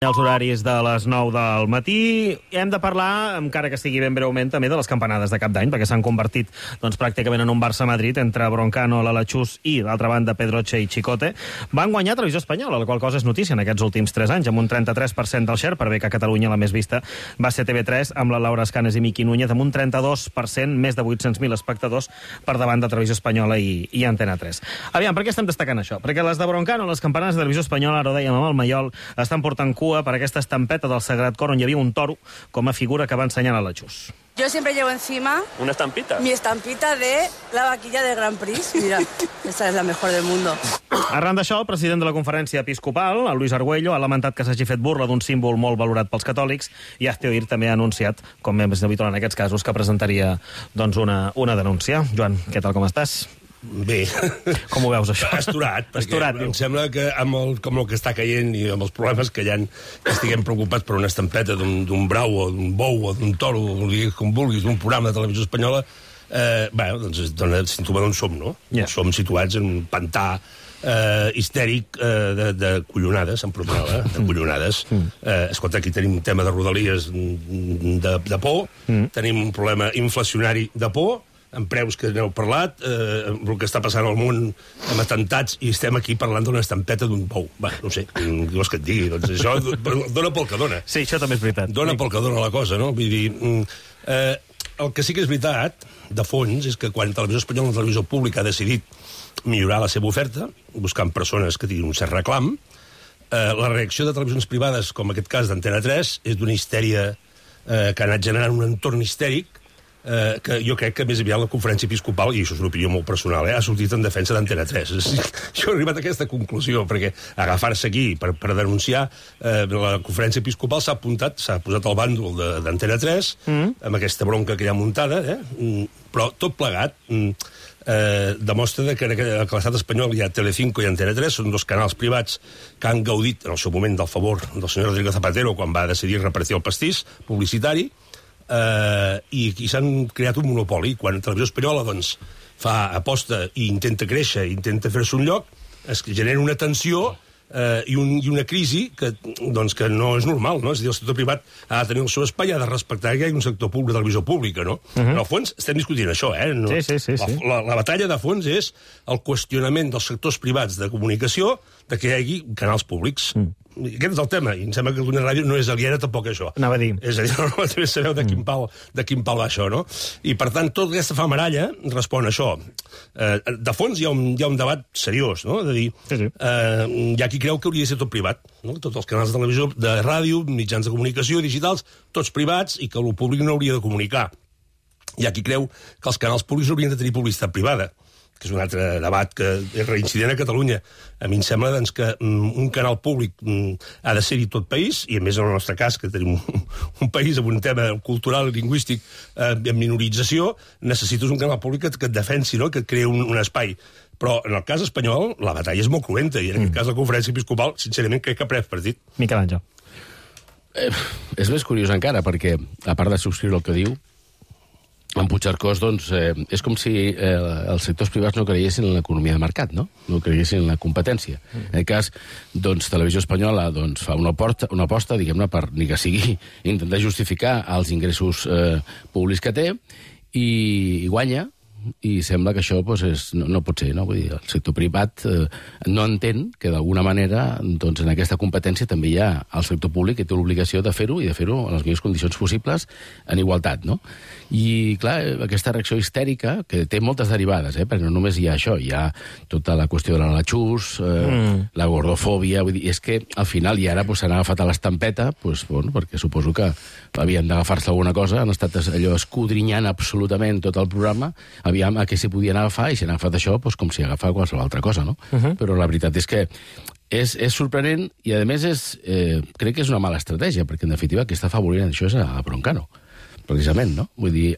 Els horaris de les 9 del matí. Hem de parlar, encara que sigui ben breument, també de les campanades de cap d'any, perquè s'han convertit pràcticament en un Barça-Madrid entre Broncano, l'Alachús i, d'altra banda, Pedroche i Chicote. Van guanyar Televisió Espanyola, la qual cosa és notícia en aquests últims 3 anys, amb un 33% del share, per bé que a Catalunya la més vista va ser TV3, amb la Laura Escanes i Miqui Núñez, amb un 32%, més de 800.000 espectadors per davant de Televisió Espanyola i Antena 3. Aviam, per què estem destacant això? Perquè les de Broncano, les campanades de Televisió Espanyola, ara ho dèiem amb el Maiol, estan portant cua per aquesta estampeta del Sagrat Cor on hi havia un toro com a figura que va ensenyant a la Xus. Yo siempre llevo encima... ¿Una estampita? Mi estampita de la vaquilla del Grand Prix. Mira, esta es la mejor del mundo. Arran d'això, el president de la conferència episcopal, el Luis Argüello, ha lamentat que s'hagi fet burla d'un símbol molt valorat pels catòlics i Hazte Oír també ha anunciat, com és habitual en aquests casos, que presentaria una denúncia. Joan, què tal, com estàs? Bé. Com ho veus, això? Esturat, perquè em sembla que com el que està caient i amb els problemes que hi ha, que estiguem preocupats per una estampeta d'un brau o d'un bou o d'un toro, com vulguis, d'un programa de televisió espanyola, doncs dona símptoma d'on som, no? Yeah. Som situats en un pantà histèric de collonades, en promenada, de collonades. Escolta, aquí tenim un tema de rodalies de por, tenim un problema inflacionari de por, amb preus que n'heu parlat, el que està passant al món amb atentats, i estem aquí parlant d'una estampeta d'un bou. Va, no sé, què vols que et digui? Doncs això dona pel que dona. Sí, això també és veritat. Dona pel que dona la cosa, no? Vull dir, el que sí que és veritat, de fons, és que quan Televisió Espanyola, la televisió pública, ha decidit millorar la seva oferta, buscant persones que tinguin un cert reclam, la reacció de televisions privades, com en aquest cas d'Antena 3, és d'una histèria que ha anat generant un entorn histèric que jo crec que més aviat la conferència episcopal, i això és una opinió molt personal, ha sortit en defensa d'Antena 3. Jo he arribat a aquesta conclusió, perquè agafar-se aquí per denunciar la conferència episcopal s'ha posat al bàndol d'Antena 3, amb aquesta bronca que hi ha muntada, però tot plegat demostra que a l'estat espanyol hi ha Telecinco i Antena 3, són dos canals privats que han gaudit en el seu moment del favor del senyor Rodrigo Zapatero quan va decidir repartir el pastís publicitari, i s'han creat un monopoli. Quan Televisió Espanyola fa aposta i intenta créixer, intenta fer-se un lloc, es genera una tensió i una crisi que no és normal, no? És a dir, el sector privat ha de tenir el seu espai, ha de respectar que hi ha un sector públic de televisió pública, no? En el fons estem discutint això, Sí. La batalla de fons és el qüestionament dels sectors privats de comunicació de que hi hagi canals públics. Aquest és el tema, i em sembla que Catalunya Ràdio no és aliena tampoc a això. Anava a dir. És a dir, no sabeu de quin pal va això, no? I, per tant, tota aquesta famaralla respon a això. De fons hi ha un debat seriós, no? De dir, hi ha qui creu que hauria de ser tot privat, no? Tots els canals de televisió, de ràdio, mitjans de comunicació, digitals, tots privats, i que el públic no hauria de comunicar. Hi ha qui creu que els canals públics haurien de tenir publicitat privada, que és un altre debat que és reincident a Catalunya. A mi em sembla que un canal públic ha de ser-hi tot país, i a més en el nostre cas, que tenim un país amb un tema cultural i lingüístic en minorització, necessites un canal públic que et defensi, no? Que et creï un espai. Però en el cas espanyol la batalla és molt cruenta, i en aquest cas la conferència episcopal, sincerament, crec que ha pres partit. Miquel Àngel. És més curiós encara, perquè, a part de subscriure el que diu, en Puigcercós, és com si els sectors privats no creiessin en l'economia de mercat, no? No creiessin en la competència. En aquest cas, Televisió Espanyola fa una aposta, diguem-ne, per ni que sigui intentar justificar els ingressos públics que té, i guanya, i sembla que això no pot ser, no? Vull dir, el sector privat no entén que d'alguna manera en aquesta competència també hi ha el sector públic que té l'obligació de fer-ho, i de fer-ho en les millors condicions possibles, en igualtat, no? I, clar, aquesta reacció histèrica, que té moltes derivades, perquè no només hi ha això, hi ha tota la qüestió de l'Alachús, la gordofòbia, vull dir, és que al final, i ara s'han agafat a l'estampeta, perquè suposo que havien d'agafar-se alguna cosa, han estat allò escudrinyant absolutament tot el programa, aviam a què s'hi podien agafar, i si han agafat això com si agafar qualsevol altra cosa, no? Però la veritat és que és sorprenent, i a més crec que és una mala estratègia, perquè en definitiva qui està afavorint això és a Broncano, precisament, no? Vull dir,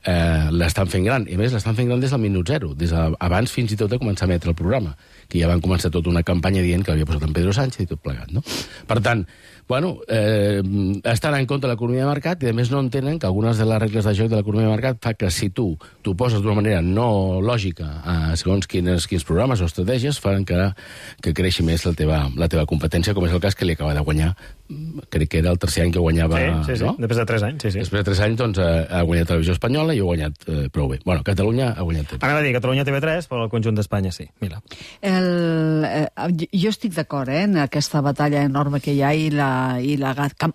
l'estan fent gran, i a més l'estan fent gran des del minut zero, des d'abans fins i tot de començar a emetre el programa, que ja van començar tota una campanya dient que l'havia posat en Pedro Sánchez i tot plegat, no? Per tant, bueno, estan en contra de l'economia de mercat i, a més, no entenen que algunes de les regles de joc de l'economia de mercat fa que si tu t'ho poses d'una manera no lògica segons quins programes o estratègies fan que creixi més la teva competència, com és el cas que li acaba de guanyar, crec que era el tercer any que guanyava... Sí, no? Després de 3 anys, sí. Després de 3 anys, doncs, ha guanyat Televisió Espanyola i ho ha guanyat prou bé. Bueno, Catalunya ha guanyat temps. Anava a dir Catalunya TV3, però el conjunt d'Espanya sí. Mira. Jo estic d'acord en aquesta batalla enorme que hi ha i la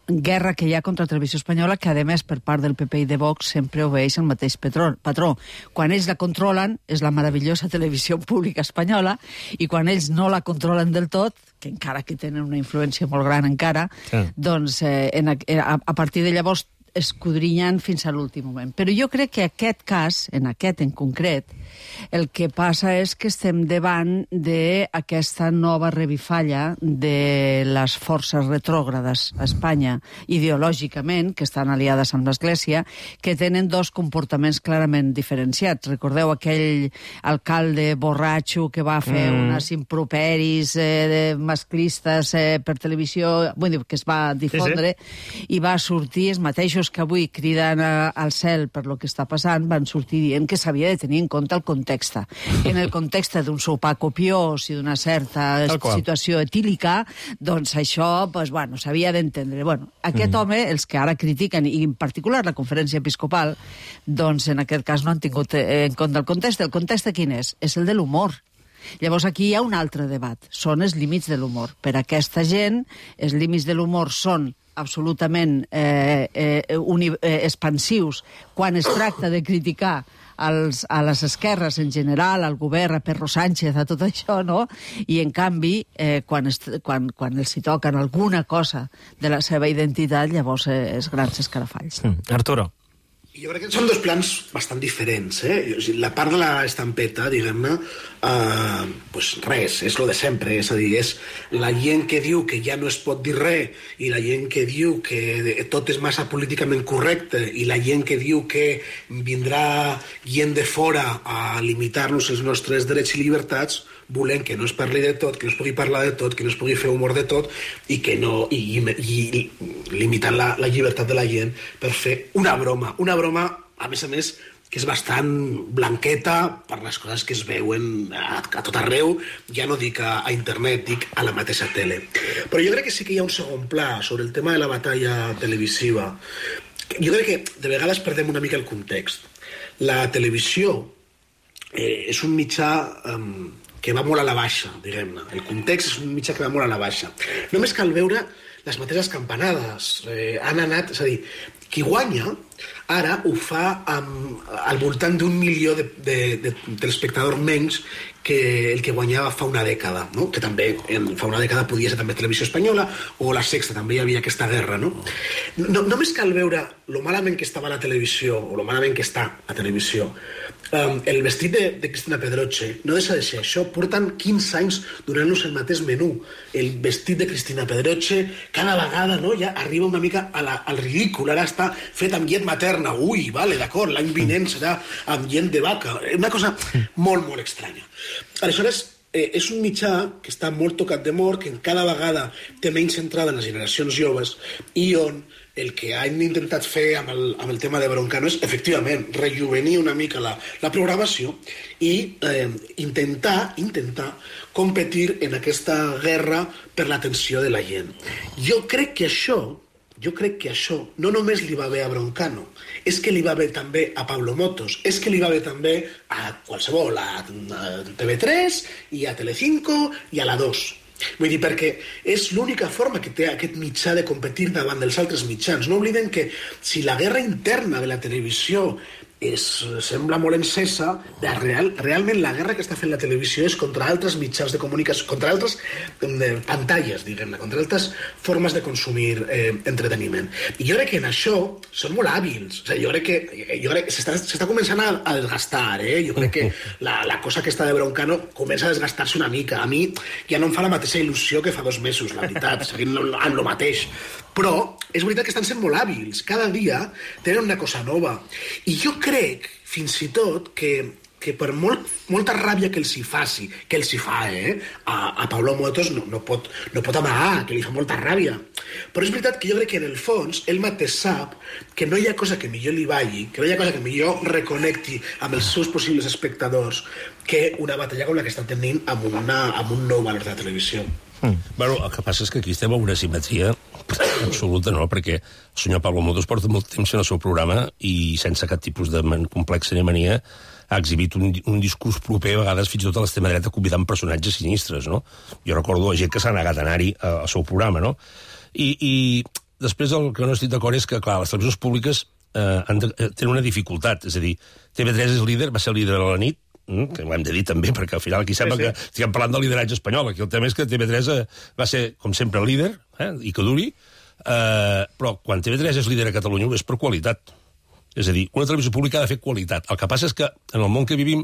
guerra que hi ha contra Televisió Espanyola, que, a més, per part del PP i de Vox sempre obeeix el mateix patró. Quan ells la controlen, és la meravellosa televisió pública espanyola, i quan ells no la controlen del tot, que encara que tenen una influència molt gran encara, doncs a partir de llavors escudrinyant fins a l'últim moment. Però jo crec que aquest cas, en aquest en concret, el que passa és que estem davant d'aquesta nova revifalla de les forces retrògrades a Espanya, ideològicament, que estan aliades amb l'Església, que tenen dos comportaments clarament diferenciats. Recordeu aquell alcalde borratxo que va fer unes improperis masclistes per televisió, vull dir, que es va difondre, i va sortir els mateixos que avui criden al cel per lo que està passant, van sortir dient que s'havia de tenir en compte el context. En el context d'un sopar copiós i d'una certa situació etílica, doncs això, s'havia d'entendre. Aquest home, els que ara critiquen, i en particular la conferència episcopal, doncs en aquest cas no han tingut en compte el context. El context quin és? És el de l'humor. Llavors aquí hi ha un altre debat. Són els límits de l'humor. Per a aquesta gent, els límits de l'humor són absolutament expansius quan es tracta de criticar a les esquerres en general, al govern, a Pedro Sánchez, a tot això, no? I, en canvi, quan els hi toquen alguna cosa de la seva identitat, llavors és grans escarafalls. Arturo. Jo crec que són dos plans bastant diferents, La part de l'estampeta, diguem-ne, res, és lo de sempre, és a dir, és la gent que diu que ja no es pot dir res i la gent que diu que tot és massa políticament correcte i la gent que diu que vindrà gent de fora a limitar-nos els nostres drets i llibertats, volem que no es parli de tot, que no es pugui parlar de tot, que no es pugui fer humor de tot i que no i limitant la llibertat de la gent per fer una broma, a més, que és bastant blanqueta per les coses que es veuen a tot arreu, ja no dic a internet, dic a la mateixa tele. Però jo crec que sí que hi ha un segon pla sobre el tema de la batalla televisiva. Jo crec que de vegades perdem una mica el context. La televisió és un mitjà que va molt a la baixa, diguem-ne. El context és un mitjà que va molt a la baixa. Només cal veure les mateixes campanades. Han anat... És a dir, qui guanya ara ho fa al voltant d'1 milió de telespectadors menys que el que guanyava fa una dècada, no? Que també fa una dècada podia ser també Televisió Espanyola o La Sexta, també hi havia aquesta guerra, no? Només cal veure lo malament que estava la televisió o lo malament que està la televisió. El vestit de Cristina Pedroche no deixa de ser això. Porten 15 anys donant-nos el mateix menú. El vestit de Cristina Pedroche cada vegada, no, ja arriba una mica al ridícul. Ara està fet amb llet materna. Ui, vale, d'acord, l'any vinent serà amb llet de vaca. Una cosa molt, molt estranya. Aleshores, és un mitjà que està molt tocat de mort, que cada vegada té menys centrada en les generacions joves i on el que han intentat fer amb el tema de Broncano és, efectivament, rejuvenir una mica la programació i intentar competir en aquesta guerra per l'atenció de la gent. Jo crec que això no només li va bé a Broncano, és que li va bé també a Pablo Motos, és que li va bé també a qualsevol, a TV3 i a Telecinco i a la 2. Vull dir, perquè és l'única forma que té aquest mitjà de competir davant dels altres mitjans. No obliden que si la guerra interna de la televisió sembla molt encesa, realment la guerra que està fent la televisió és contra altres mitjans de comunicació, contra altres pantalles, diguem-ne, contra altres formes de consumir entreteniment. I jo crec que en això són molt hàbils. O sigui, jo crec que s'està començant a desgastar, Jo crec que la cosa aquesta de Broncano comença a desgastar-se una mica. A mi ja no em fa la mateixa il·lusió que fa 2 mesos, la veritat, seguint amb el mateix. Però és veritat que estan sent molt hàbils. Cada dia tenen una cosa nova. I jo crec, fins i tot, que que per molta ràbia que els hi faci, que els hi fa, a Pablo Motos no pot amagar, que li fa molta ràbia. Però és veritat que jo crec que en el fons ell mateix sap que no hi ha cosa que millor li balli, que no hi ha cosa que millor reconnecti amb els seus possibles espectadors que una batalla com la que està tenint amb un nou valor de la televisió. Bueno, el que passa és que aquí estem a una simetria absoluta, no? Perquè el senyor Pablo Motos porta molt temps en el seu programa i sense cap tipus de complexa ni mania ha exhibit un discurs proper, a vegades fins i tot a l'extrema dreta, convidant personatges sinistres, no? Jo recordo gent que s'ha negat a anar-hi al seu programa, no? I després el que no estic d'acord és que, clar, les televisions públiques tenen una dificultat, és a dir, TV3 és líder, va ser líder a la nit, que ho hem de dir també, perquè al final aquí sembla que estiguem parlant del lideratge espanyol. Aquí el tema és que TV3 va ser, com sempre, líder, i que duri, però quan TV3 és líder a Catalunya és per qualitat. És a dir, una televisió pública ha de fer qualitat. El que passa és que en el món que vivim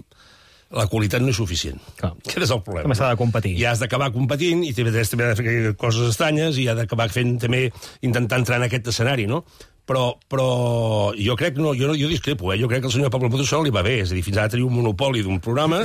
la qualitat no és suficient. Aquest és el problema. També s'ha de competir. I has d'acabar competint, i TV3 també ha de fer coses estranyes, i ha d'acabar fent també, intentar entrar en aquest escenari, no? Però jo crec, jo discrepo, jo crec que el senyor Pablo Motos li va bé, és a dir, fins ara tenia un monopoli d'un programa,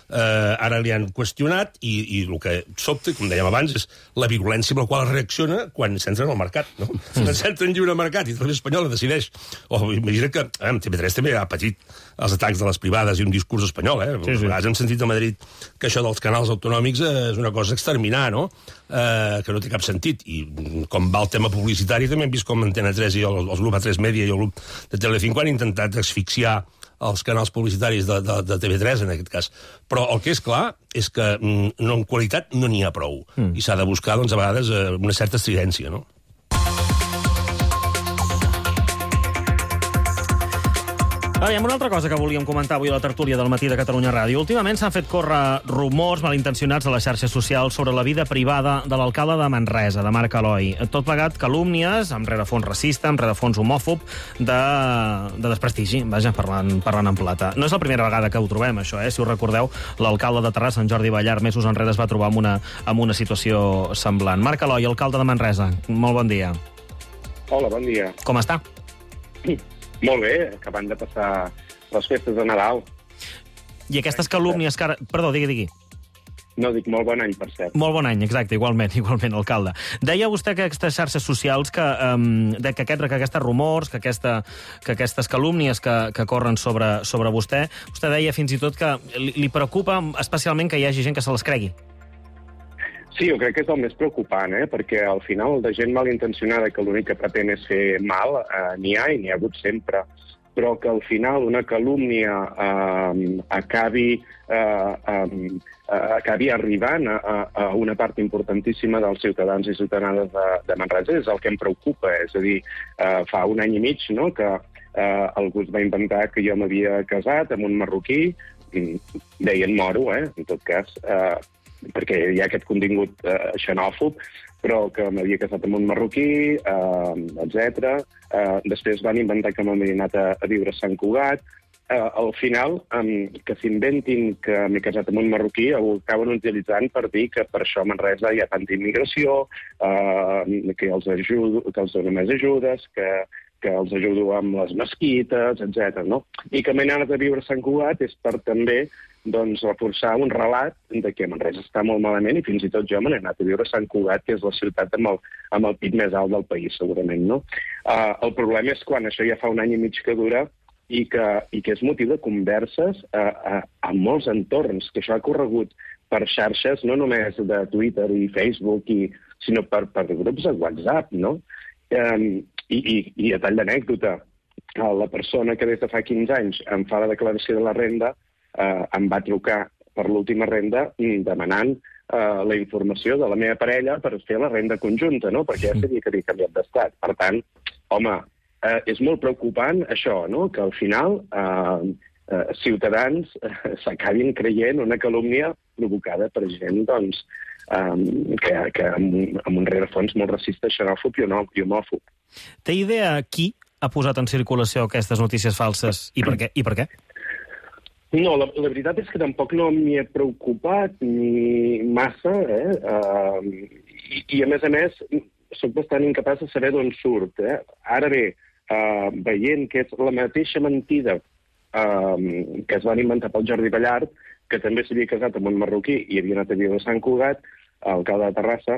ara li han qüestionat, i el que sobta, com dèiem abans, és la virulència amb la qual es reacciona quan s'entra en el mercat, no? Quan s'entra en lliure mercat i Televisió Espanyola decideix, imagina't que TV3 també ha patit els atacs de les privades i un discurs espanyol, sí. Hem sentit a Madrid que això dels canals autonòmics és una cosa a exterminar, no? Que no té cap sentit, i com va el tema publicitari també hem vist com Antena 3 i el grup A3 Media i el grup de Telecinco han intentat asfixiar els canals publicitaris de TV3 en aquest cas, però el que és clar és que en qualitat no n'hi ha prou, i s'ha de buscar doncs, a vegades una certa estridència, no? Hi ha una altra cosa que volíem comentar avui a la tertúlia del matí de Catalunya Ràdio. Últimament s'han fet córrer rumors malintencionats a les xarxes socials sobre la vida privada de l'alcalde de Manresa, de Marc Aloi. Tot plegat calúmnies, amb rerefons racista, amb rerefons homòfob, de desprestigi, vaja, parlant en plata. No és la primera vegada que ho trobem, això, Si us recordeu, l'alcalde de Terrassa, en Jordi Ballar, mesos enrere es va trobar amb una situació semblant. Marc Aloi, alcalde de Manresa, molt bon dia. Hola, bon dia. Com està? Molt bé, acabant de passar les festes de Nadal. I aquestes calúmnies que ara... Perdó, digui. No, dic molt bon any, per cert. Molt bon any, exacte, igualment, alcalde. Deia vostè que aquestes xarxes socials, que aquests rumors, que aquestes calúmnies que corren sobre vostè deia fins i tot que li preocupa especialment que hi hagi gent que se les cregui. Sí, jo crec que és el més preocupant, perquè al final de gent malintencionada que l'únic que pretén és fer mal, n'hi ha i n'hi ha hagut sempre, però que al final una calúmnia acabi arribant a una part importantíssima dels ciutadans i ciutadanes de Manresa és el que em preocupa. És a dir, fa un any i mig que algú es va inventar que jo m'havia casat amb un marroquí, deien moro, en tot cas, perquè hi ha aquest contingut xenòfob, però que m'havia casat amb un marroquí, etc. Després van inventar que m'havia anat a viure a Sant Cugat. Al final, que s'inventin que m'he casat amb un marroquí, ho acaben utilitzant per dir que per això a Manresa hi ha tanta immigració, que els dono més ajudes, que els ajudo amb les mesquites, etc. I que m'he anat a viure a Sant Cugat és per també reforçar un relat de que Manresa està molt malament i fins i tot jo m'he anat a viure a Sant Cugat, que és la ciutat amb el PIB més alt del país, segurament. El problema és quan això ja fa un any i mig que dura i que és motiu de converses a molts entorns, que això ha corregut per xarxes, no només de Twitter i Facebook, sinó per grups de WhatsApp, no? I a tall d'anècdota, la persona que des de fa 15 anys em fa la declaració de la renda em va trucar per l'última renda demanant la informació de la meva parella per fer la renda conjunta, no? Perquè ja sabia que havia canviat d'estat. Per tant, home, és molt preocupant això, no? Que al final ciutadans s'acabin creient una calúmnia provocada per gent, doncs, que amb un rerefons molt racista, xenòfob i homòfob. Té idea qui ha posat en circulació aquestes notícies falses i per què? No, la veritat és que tampoc no m'hi he preocupat ni massa, i a més, soc bastant incapaç de saber d'on surt. Ara bé, veient que és la mateixa mentida que es van inventar pel Jordi Ballart, que també s'havia casat amb un marroquí i havia anat a viure a Sant Cugat, alcalde de Terrassa,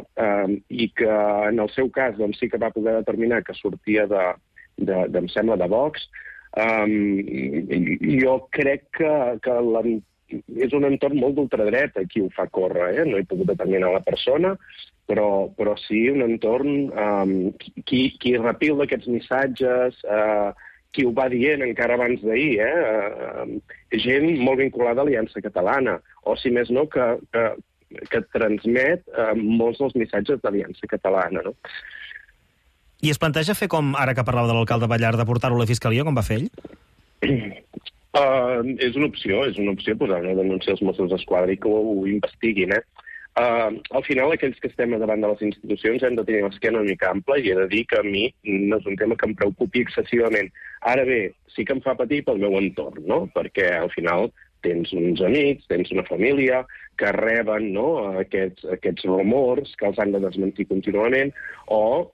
i que en el seu cas doncs, sí que va poder determinar que sortia em sembla, de Vox. Jo crec que és un entorn molt d'ultradreta qui ho fa córrer, no he pogut determinar la persona, però sí un entorn qui repila aquests missatges, qui ho va dient encara abans d'ahir, gent molt vinculada a l'Aliança Catalana, o si més no, que transmet molts dels missatges d'Aliança Catalana, no? I es planteja fer com, ara que parlava de l'alcalde Ballart, de portar-ho a la Fiscalia, com va fer ell? És una opció posar una denúncia als Mossos d'Esquadra i que ho investiguin, Al final, aquells que estem davant de les institucions hem de tenir l'esquena una mica ampla i he de dir que a mi no és un tema que em preocupi excessivament. Ara bé, sí que em fa patir pel meu entorn, no? Perquè al final tens uns amics, tens una família que reben aquests rumors que els han de desmentir contínuament, o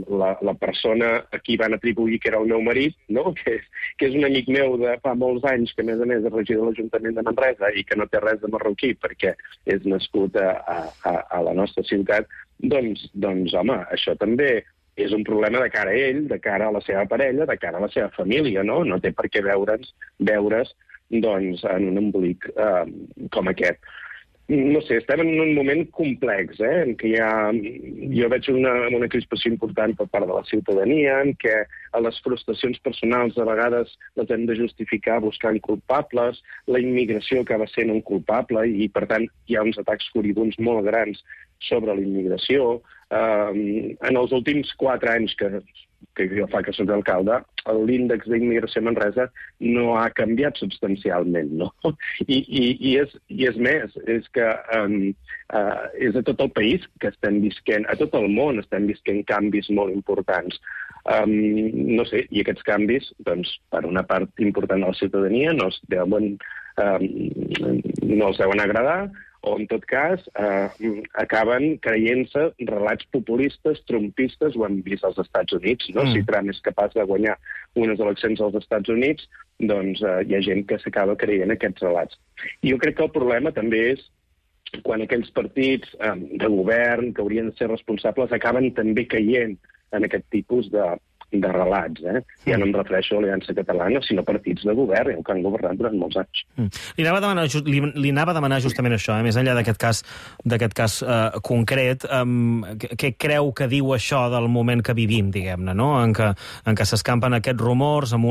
la persona a qui van atribuir que era el meu marit, no? que és un amic meu de fa molts anys, que a més és regidor de l'Ajuntament de Manresa i que no té res de marroquí perquè és nascut a la nostra ciutat, doncs home, això també és un problema de cara a ell, de cara a la seva parella, de cara a la seva família, no? No té per què veure's en un embolic com aquest. No sé, estem en un moment complex, en què jo veig una crispació important per part de la ciutadania, en què les frustracions personals a vegades les hem de justificar buscant culpables, la immigració acaba sent un culpable i, per tant, hi ha uns atacs furibuns molt grans sobre la immigració. En els últims 4 anys que jo fa que soc alcalde, l'índex d'immigració a Manresa no ha canviat substancialment, no? I és més, és que és a tot el país que estem visquent, a tot el món estem visquent canvis molt importants. No sé, i aquests canvis, doncs, per una part important de la ciutadania no els deuen agradar, o, en tot cas, acaben creient-se relats populistes, trumpistes, ho hem vist als Estats Units, no? Si Trump és capaç de guanyar unes eleccions als Estats Units, doncs hi ha gent que s'acaba creient aquests relats. I jo crec que el problema també és quan aquells partits de govern que haurien de ser responsables acaben també caient en aquest tipus de relats. Ja no em refereixo a l'Aliança Catalana, sinó partits de govern, que han governat durant molts anys. Li anava a demanar justament això, més enllà d'aquest cas concret, què creu que diu això del moment que vivim, diguem-ne, no? En què s'escampen aquests rumors amb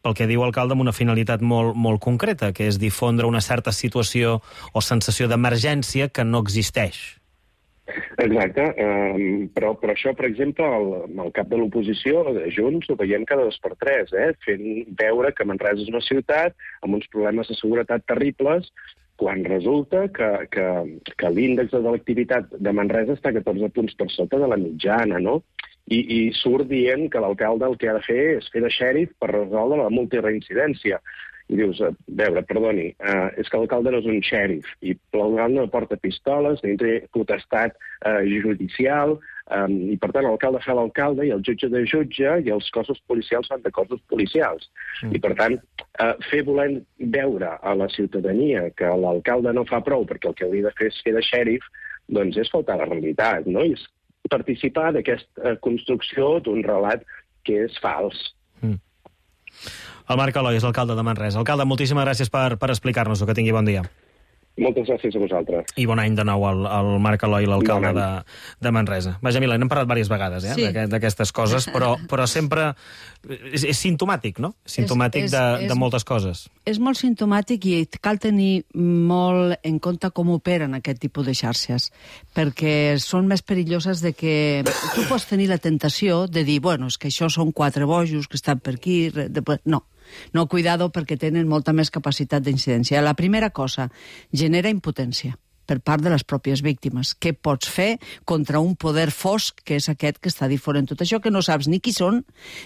pel que diu l'alcalde, amb una finalitat molt concreta, que és difondre una certa situació o sensació d'emergència que no existeix. Exacte, però això, per exemple, el cap de l'oposició, de Junts, ho veiem cada 2 per 3, fent veure que Manresa és una ciutat amb uns problemes de seguretat terribles, quan resulta que l'índex de delictivitat de Manresa està 14 punts per sota de la mitjana, no? I surt dient que l'alcalde el que ha de fer és fer de xèrif per resoldre la multireincidència. I dius, perdoni, és que l'alcalde no és un xèrif, i l'alcalde no porta pistoles, ni té potestat judicial, i per tant l'alcalde fa l'alcalde i el jutge de jutge i els cossos policials fan de cossos policials. I per tant, fer voler veure a la ciutadania que l'alcalde no fa prou perquè el que hauria de fer és fer de xèrif, doncs és faltar a la realitat, no? I és participar d'aquesta construcció d'un relat que és fals. El Marc Eloi és l'alcalde de Manresa. Alcalde, moltíssimes gràcies per explicar-nos-ho. Que tingui bon dia. Moltes gràcies a vosaltres. I bon any de nou al Marc Eloi, l'alcalde de Manresa. Vaja, Mila, n'hem parlat diverses vegades d'aquestes coses, però sempre és simptomàtic, no? Simptomàtic de moltes coses. És molt simptomàtic i cal tenir molt en compte com operen aquest tipus de xarxes, perquè són més perilloses de que tu pots tenir la tentació de dir, bueno, és que això són 4 bojos que estan per aquí... No, cuidado, perquè tenen molta més capacitat d'incidència. La primera cosa, genera impotència. per part de les pròpies víctimes. Què pots fer contra un poder fosc, que és aquest que està difonent tot això, que no saps ni qui són,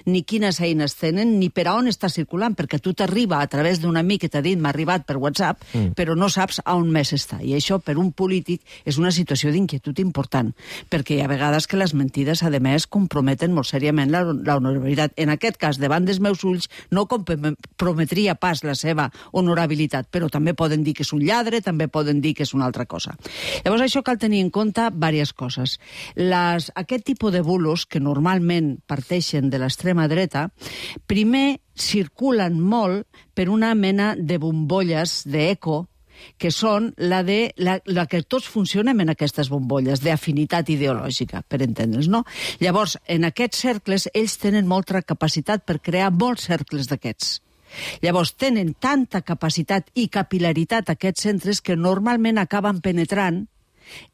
ni quines eines tenen, ni per a on està circulant, perquè tu t'arriba a través d'un amic que t'ha dit m'ha arribat per WhatsApp, però no saps a on més està. I això, per un polític, és una situació d'inquietud important, perquè hi ha vegades que les mentides, a més, comprometen molt seriament l'honorabilitat. En aquest cas, davant dels meus ulls, no comprometria pas la seva honorabilitat, però també poden dir que és un lladre, també poden dir que és una altra cosa. Llavors, això cal tenir en compte diverses coses. Aquest tipus de bulos, que normalment parteixen de l'extrema dreta, primer circulen molt per una mena de bombolles d'eco, que són la que tots funcionem en aquestes bombolles, d'afinitat ideològica, per entendre'ns, no? Llavors, en aquests cercles, ells tenen molta capacitat per crear molts cercles d'aquests. Llavors, tenen tanta capacitat i capilaritat aquests centres que normalment acaben penetrant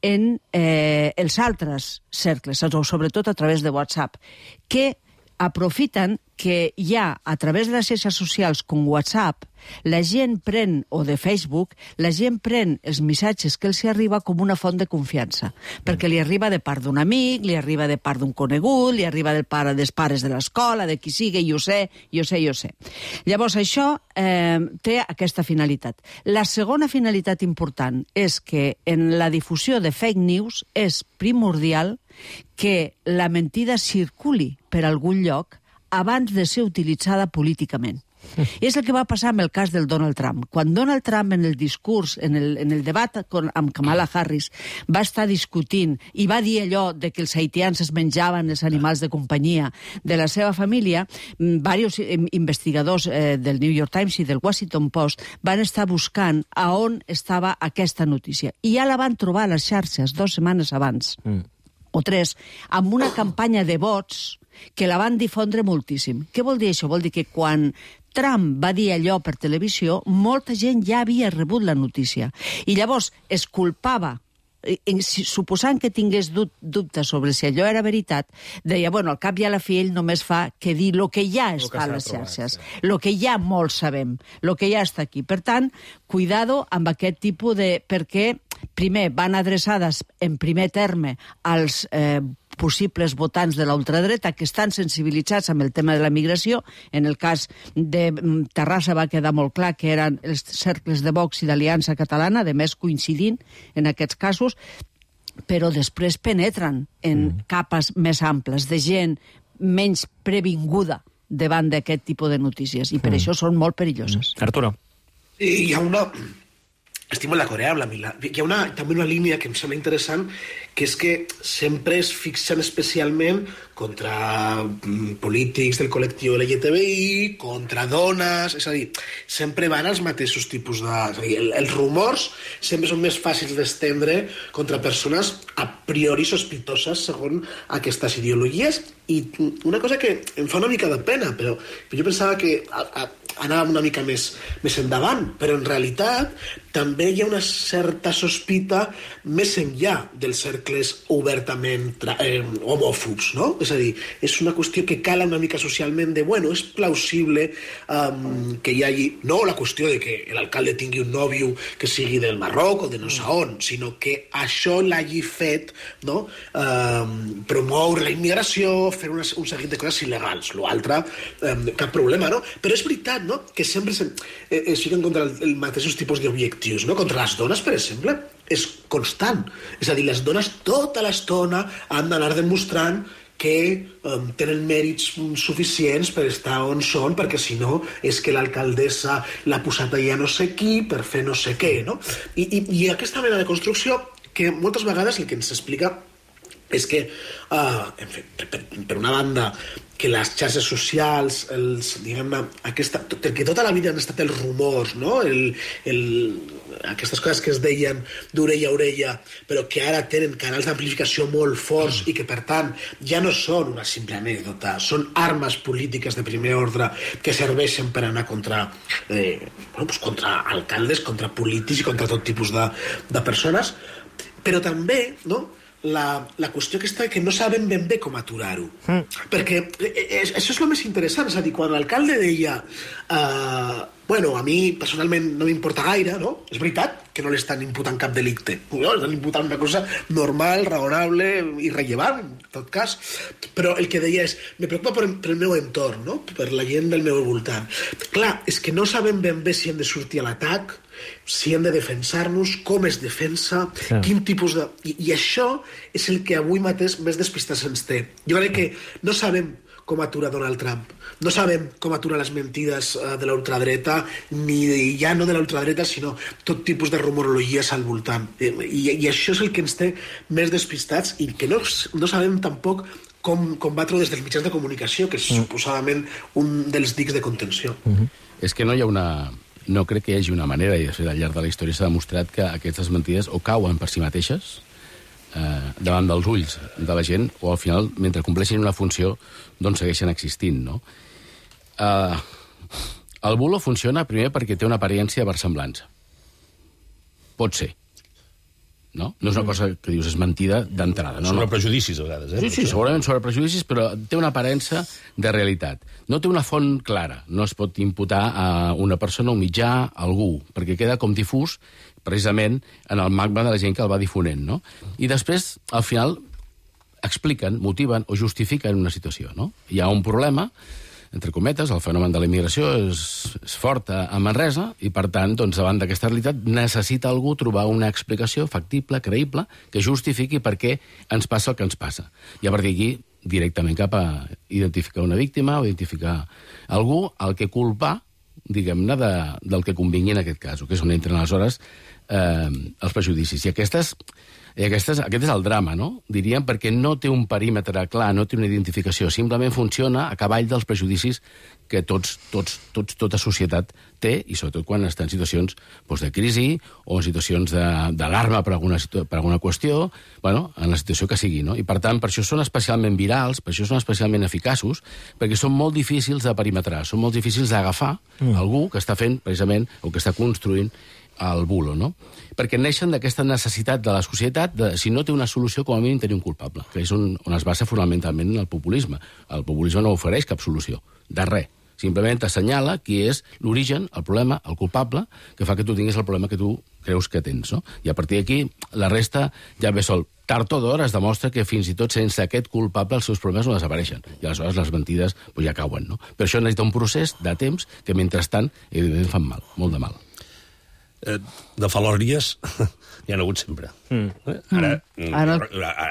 en els altres cercles, sobretot a través de WhatsApp, que aprofiten que ja a través de les xarxes socials com WhatsApp, la gent pren, o de Facebook, la gent pren els missatges que els arriba com una font de confiança, perquè li arriba de part d'un amic, li arriba de part d'un conegut, li arriba dels pares de l'escola, de qui sigui, jo sé. Llavors, això té aquesta finalitat. La segona finalitat important és que en la difusió de fake news és primordial que la mentida circuli per algun lloc abans de ser utilitzada políticament. I és el que va passar amb el cas del Donald Trump. Quan Donald Trump, en el discurs, en el debat amb Kamala Harris, va estar discutint i va dir allò de que els haitians es menjaven els animals de companyia de la seva família, diversos investigadors del New York Times i del Washington Post van estar buscant a on estava aquesta notícia. I ja la van trobar a les xarxes 2 setmanes abans, o 3, amb una campanya de vots que la van difondre moltíssim. Què vol dir això? Vol dir que quan Trump va dir allò per televisió, molta gent ja havia rebut la notícia. I llavors es culpava, suposant que tingués dubtes sobre si allò era veritat, deia, bueno, al cap i a la fi ell només fa que dir el que ja està a les xarxes, el que ja molts sabem, el que ja està aquí. Per tant, cuidado amb aquest tipus de... perquè, primer, van adreçades en primer terme als possibles votants de la ultradreta que estan sensibilitzats amb el tema de la migració. En el cas de Terrassa va quedar molt clar que eren els cercles de Vox i d'Aliança Catalana, de més coincidint en aquests casos, però després penetren en capes més amples de gent menys previnguda davant d'aquest tipus de notícies, i per això són molt perilloses. Arturo. Hi ha una... Estic molt d'acord amb la Mila. Hi ha també una línia que em sembla interessant, que és que sempre es fixen especialment contra polítics del col·lectiu LGTBI, contra dones, és a dir, sempre van als mateixos tipus de... És a dir, els rumors sempre són més fàcils d'estendre contra persones a priori sospitoses segons aquestes ideologies, i una cosa que em fa una mica de pena, però jo pensava que anàvem una mica més endavant, però en realitat també hi ha una certa sospita més enllà dels cercles obertament homòfobs, no? És a dir, és una qüestió que cala una mica socialment de, bueno, és plausible que hi hagi, no la qüestió de que l'alcalde tingui un nòvio que sigui del Marroc o de no sé on, sinó que això l'hagi fet, no? Promoure la immigració, fer un seguit de coses il·legals. L'altre, cap problema, no? Però és veritat, no?, que sempre es fiquen contra els mateixos tipus d'objectius, no? Contra les dones, per exemple, és constant. És a dir, les dones tota l'estona han d'anar demostrant que tenen mèrits suficients per estar on són, perquè si no és que l'alcaldessa l'ha posat allà no sé qui per fer no sé què, no? I aquesta mena de construcció que moltes vegades el que ens explica és que, en fi, per una banda, que les xarxes socials, diguem-ne, que tota la vida han estat els rumors, no? Aquestes coses que es deien d'orella a orella, però que ara tenen canals d'amplificació molt forts i que, per tant, ja no són una simple anècdota, són armes polítiques de primer ordre que serveixen per anar contra alcaldes, contra polítics i contra tot tipus de persones, però també, no?, la qüestió que està que no sabem ben bé com aturar-ho. Perquè això és el més interessant. És a dir, quan l'alcalde deia bueno, a mi personalment no m'importa gaire, no? És veritat, que no li estan imputant cap delicte. No, estan imputant una cosa normal, raonable i rellevant, en tot cas. Però el que deia és, me preocupa per el meu entorn, no? Per la gent del meu voltant. Clar, és que no sabem ben bé si hem de sortir a l'atac, si hem de defensar-nos, com es defensa, quin tipus de... I això és el que avui mateix més despistats ens té. Jo crec que no sabem com atura Donald Trump. No sabem com atura les mentides de la ultradreta, ni ja no de la ultradreta, sinó tot tipus de rumorologies al voltant. I això és el que ens té més despistats i que no sabem tampoc com combatre des dels mitjans de comunicació, que és suposadament un dels dics de contenció. És que no hi ha una... No crec que hi hagi una manera, i de fet al llarg de la història s'ha demostrat que aquestes mentides o cauen per si mateixes davant dels ulls de la gent, o al final, mentre compleixin una funció, doncs segueixen existint, no? El bulo funciona primer perquè té una aparència de versemblança. Pot ser. No? No és una cosa que dius és mentida d'entrada. Sobre prejudicis, a vegades. Sí, segurament sobre prejudicis, però té una aparença de realitat. No té una font clara. No es pot imputar a una persona, un mitjà, a algú, perquè queda com difús precisament en el magma de la gent que el va difonent, no? I després, al final, expliquen, motiven o justifiquen una situació, no? Hi ha un problema, entre cometes, el fenomen de la immigració és fort a Manresa i, per tant, doncs, davant d'aquesta realitat necessita algú trobar una explicació factible, creïble, que justifiqui per què ens passa el que ens passa. I a partir d'aquí, directament cap a identificar una víctima o identificar algú al que culpar, diguem-ne, del que convingui en aquest cas, que és on entren aleshores els prejudicis. I aquest és el drama, no? Diríem, perquè no té un perímetre clar, no té una identificació, simplement funciona a cavall dels prejudicis que tota societat té, i sobretot quan està en situacions de crisi o en situacions d'alarma per alguna qüestió, en la situació que sigui, no? I per tant, per això són especialment virals, per això són especialment eficaços, perquè són molt difícils de perimetrar, són molt difícils d'agafar algú que està fent, precisament, o que està construint el bulo, no? Perquè neixen d'aquesta necessitat de la societat de, si no té una solució, com a mínim tenir un culpable, que és on es basa fonamentalment el populisme. El populisme no ofereix cap solució, de res. Simplement t'assenyala qui és l'origen, el problema, el culpable, que fa que tu tinguis el problema que tu creus que tens, no? I a partir d'aquí, la resta ja ve sol. Tard o d'hora es demostra que fins i tot sense aquest culpable els seus problemes no desapareixen. I aleshores les mentides ja cauen, no? Per això necessita un procés de temps que, mentrestant, evidentment fan mal, molt de mal. De falòrnies hi ha hagut sempre. Ara,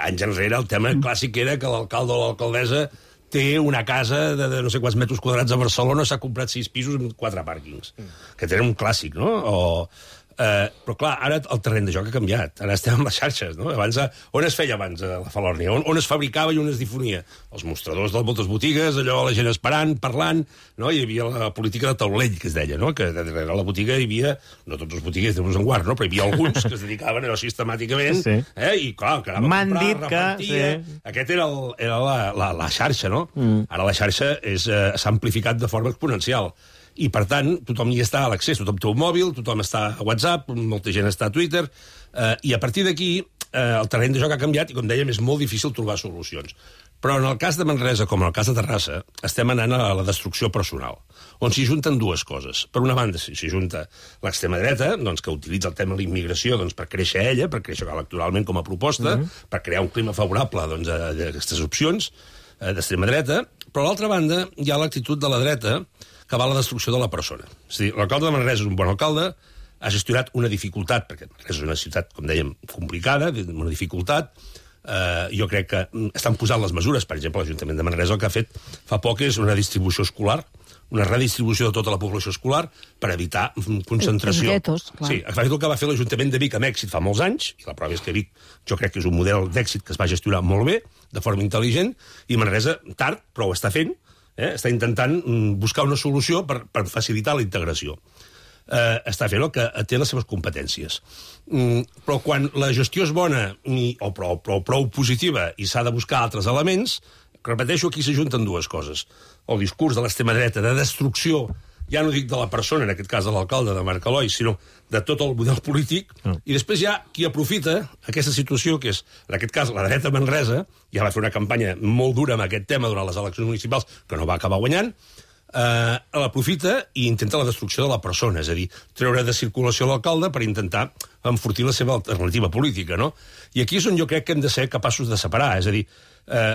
anys enrere, el tema clàssic era que l'alcalde o l'alcaldessa té una casa de no sé quants metres quadrats a Barcelona, s'ha comprat 6 pisos amb 4 pàrquings. Que era un clàssic, no? Però, clar, ara el terreny de joc ha canviat. Ara estem amb les xarxes, no? Abans, on es feia abans la falòrnia? On es fabricava i on es difonia? Els mostradors de moltes botigues, allò, la gent esperant, parlant, no? Hi havia la política de taulell, que es deia, no? Que darrere la botiga hi havia, no tots els botiguers de en guard, no? Però hi havia alguns que es dedicaven a allò sistemàticament, i, clar, que anava a comprar, repartia... Aquest era la xarxa, no? Ara la xarxa s'ha amplificat de forma exponencial. I, per tant, tothom hi està a l'accés. Tothom té un mòbil, tothom està a WhatsApp, molta gent està a Twitter, i a partir d'aquí el terreny de joc ha canviat i, com dèiem, és molt difícil trobar solucions. Però en el cas de Manresa, com en el cas de Terrassa, estem anant a la destrucció personal, on s'hi junten dues coses. Per una banda, s'hi junta l'extrema dreta, doncs, que utilitza el tema de la immigració per créixer ella, per créixer electoralment com a proposta, per crear un clima favorable a aquestes opcions d'extrema dreta, però a l'altra banda hi ha l'actitud de la dreta que va a la destrucció de la persona. És a dir, l'alcalde de Manresa és un bon alcalde, ha gestionat una dificultat, perquè Manresa és una ciutat, com dèiem, complicada, una dificultat. Jo crec que estan posant les mesures, per exemple, l'Ajuntament de Manresa el que ha fet fa poc és una distribució escolar, una redistribució de tota la població escolar per evitar concentració. Els guetos, clar. Sí, el que va fer l'Ajuntament de Vic amb èxit fa molts anys, i la prova és que Vic jo crec que és un model d'èxit que es va gestionar molt bé, de forma intel·ligent, i Manresa tard, però ho està fent, està intentant buscar una solució per facilitar la integració. Està fent el que té les seves competències. Però quan la gestió és bona o prou positiva i s'ha de buscar altres elements, repeteixo, aquí s'ajunten dues coses. El discurs de l'extrema dreta de destrucció, ja no dic de la persona, en aquest cas de l'alcalde de Marc Eloi, sinó de tot el model polític, i després hi ha qui aprofita aquesta situació, que és, en aquest cas, la dreta Manresa, ja va fer una campanya molt dura amb aquest tema durant les eleccions municipals, que no va acabar guanyant, l'aprofita i intenta la destrucció de la persona, és a dir, treure de circulació l'alcalde per intentar enfortir la seva alternativa política, no? I aquí és on jo crec que hem de ser capaços de separar, és a dir,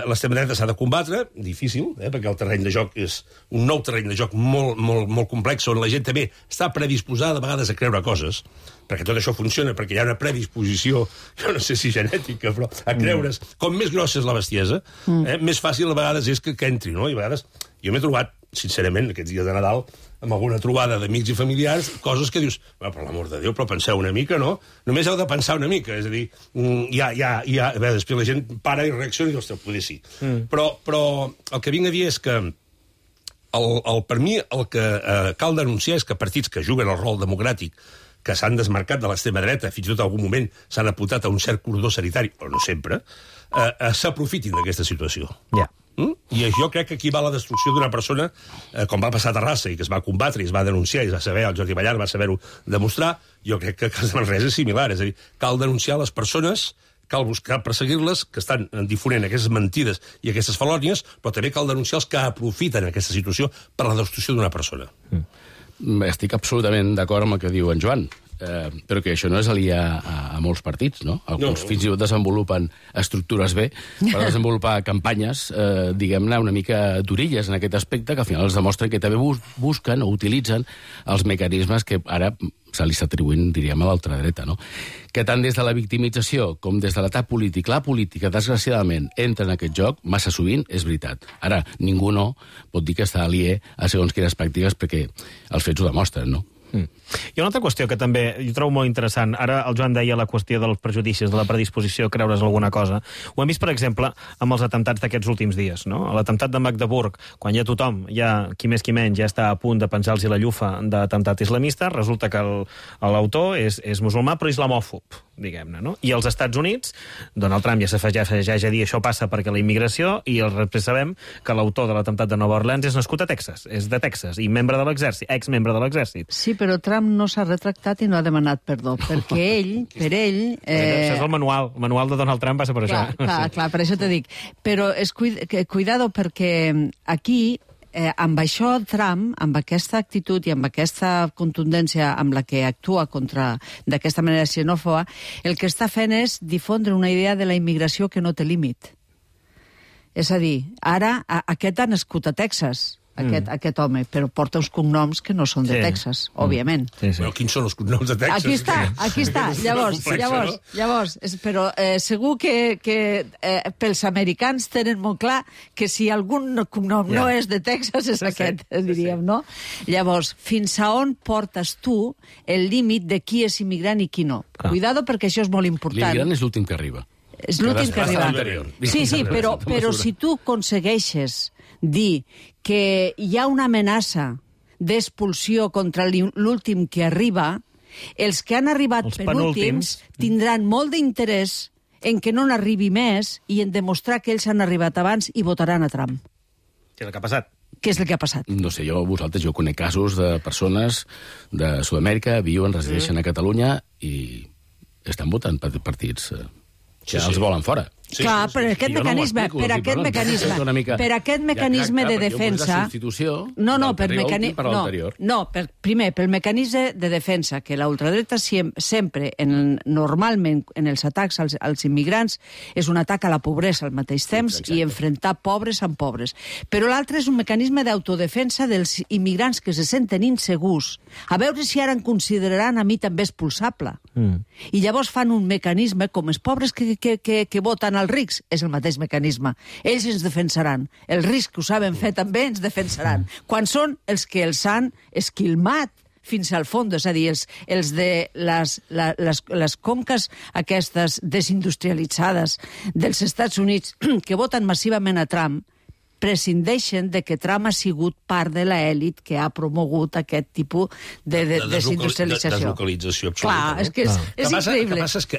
l'extrema dreta s'ha de combatre, difícil, perquè el terreny de joc és un nou terreny de joc molt complex, on la gent també està predisposada a vegades a creure coses, perquè tot això funciona, perquè hi ha una predisposició, jo no sé si genètica, però a creure's, com més grossa és la bestiesa, més fàcil a vegades és que entri, no? I a vegades jo m'he trobat, sincerament, aquests dies de Nadal, amb alguna trobada d'amics i familiars, coses que dius, per l'amor de Déu, però penseu una mica, no? Només heu de pensar una mica, és a dir, a veure, després la gent para i reacciona i diu, ostres, poder sí. Però el que vinc a dir és que per mi el que cal denunciar és que partits que juguen el rol democràtic, que s'han desmarcat de l'extrema dreta, fins i tot en algun moment s'han apuntat a un cert cordó sanitari, però no sempre, s'aprofitin d'aquesta situació. Ja. I jo crec que aquí va la destrucció d'una persona, com va passar a Terrassa, i que es va combatre, i es va denunciar, i es va saber, el Jordi Ballar va saber-ho demostrar, jo crec que a Manresa és similar, és a dir, cal denunciar les persones, cal buscar perseguir-les, que estan difonent aquestes mentides i aquestes falònies, però també cal denunciar els que aprofiten aquesta situació per la destrucció d'una persona. Estic absolutament d'acord amb el que diu en Joan, però que això no és aliè a molts partits, no? Alguns fins i tot desenvolupen estructures bé per desenvolupar campanyes, diguem-ne, una mica d'orilles en aquest aspecte, que al final es demostren que també busquen o utilitzen els mecanismes que ara se li està atribuint, diríem, a l'ultradreta, no? Que tant des de la victimització com des de l'atac polític, la política, desgraciadament, entra en aquest joc, massa sovint, és veritat. Ara, ningú no pot dir que està aliè a segons quines pràctiques, perquè els fets ho demostren, no? Hi ha una altra qüestió que també jo trobo molt interessant. Ara el Joan deia la qüestió dels prejudicis, de la predisposició a creure's alguna cosa. Ho hem vist, per exemple, amb els atemptats d'aquests últims dies, no? L'atemptat de Magdeburg, quan ja tothom, ja qui més qui menys, ja està a punt de penjar-los la llufa d'atemptat islamista, resulta que l'autor és musulmà però islamòfob, diguem-ne, no? I als Estats Units, Donald Trump ja s'afegeix a dir això passa perquè la immigració, i després sabem que l'autor de l'atemptat de Nova Orleans és nascut a Texas, és de Texas, i membre de l'exèrcit, exmembre de l'exèrcit. Sí, però Trump no s'ha retractat i no ha demanat perdó, perquè per ell... Això és el manual de Donald Trump passa per això. Clar, per això t'he dit. Però cuidado, perquè aquí, amb això Trump, amb aquesta actitud i amb aquesta contundència amb la que actua d'aquesta manera xenòfoba, el que està fent és difondre una idea de la immigració que no té límit. És a dir, ara aquest ha nascut a Texas, aquest home, però porta uns cognoms que no són de Texas, òbviament. Però quins són els cognoms de Texas? Aquí està. Llavors, però segur que pels americans tenen molt clar que si algun cognom no és de Texas és aquest, diríem, no? Llavors, fins a on portes tu el límit de qui és immigrant i qui no? Cuidado, perquè això és molt important. L'immigrant és l'últim que arriba. És l'últim que arriba. Sí, però si tu aconsegueixes dir que hi ha una amenaça d'expulsió contra l'últim que arriba, els que han arribat penúltims tindran molt d'interès en que no n'arribi més i en demostrar que ells han arribat abans i votaran a Trump. Què és el que ha passat? Què és el que ha passat? No sé, jo conec casos de persones de Sud-amèrica, viuen, resideixen a Catalunya i estan votant per partits que els volen fora. Clar, per aquest mecanisme de defensa... Primer, pel mecanisme de defensa, que la ultradreta sempre, normalment, en els atacs als immigrants, és un atac a la pobresa al mateix temps i enfrontar pobres amb pobres. Però l'altre és un mecanisme d'autodefensa dels immigrants que se senten insegurs. A veure si ara em consideraran a mi també expulsable. I llavors fan un mecanisme, com els pobres que voten als rics, és el mateix mecanisme. Ells ens defensaran. Els rics que ho saben fer també ens defensaran. Quan són els que els han esquilmat fins al fons, és a dir, els de les conques aquestes desindustrialitzades dels Estats Units que voten massivament a Trump, prescindeixen de que Trump ha sigut part de l'elit que ha promogut aquest tipus de desindustrialització. Deslocalització absoluta. Clar, és que és increïble. El que passa és que,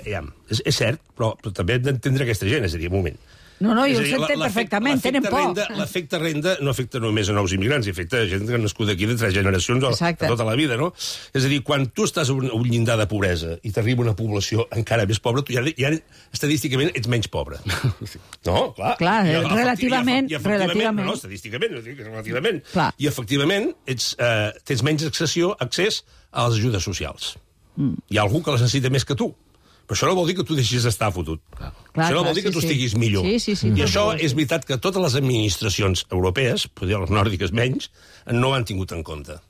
és cert, però també hem d'entendre aquesta gent, és a dir, un moment. No, jo ho s'entén perfectament, tenen por. L'efecte renda no afecta només a nous immigrants, afecta a gent que ha nascut aquí de 3 generacions de tota la vida, no? És a dir, quan tu estàs a un llindar de pobresa i t'arriba una població encara més pobra, tu ja estadísticament ets menys pobre. No, clar. Clar, relativament. No, estadísticament, relativament. I efectivament tens menys accés a les ajudes socials. Hi ha algú que les necessita més que tu. Però això no vol dir que tu deixis d'estar fotut. Això no vol dir que tu estiguis millor. I això és veritat que totes les administracions europees, potser les nòrdiques menys, no ho han tingut en compte.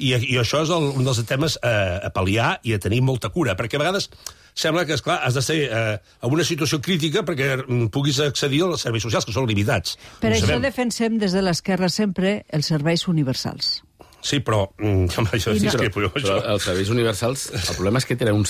I això és un dels temes a pal·liar i a tenir molta cura, perquè a vegades sembla que, esclar, has de ser en una situació crítica perquè puguis accedir als serveis socials, que són limitats. Per això defensem des de l'esquerra sempre els serveis universals. Sí, però... Però els serveis universals, el problema és que tenen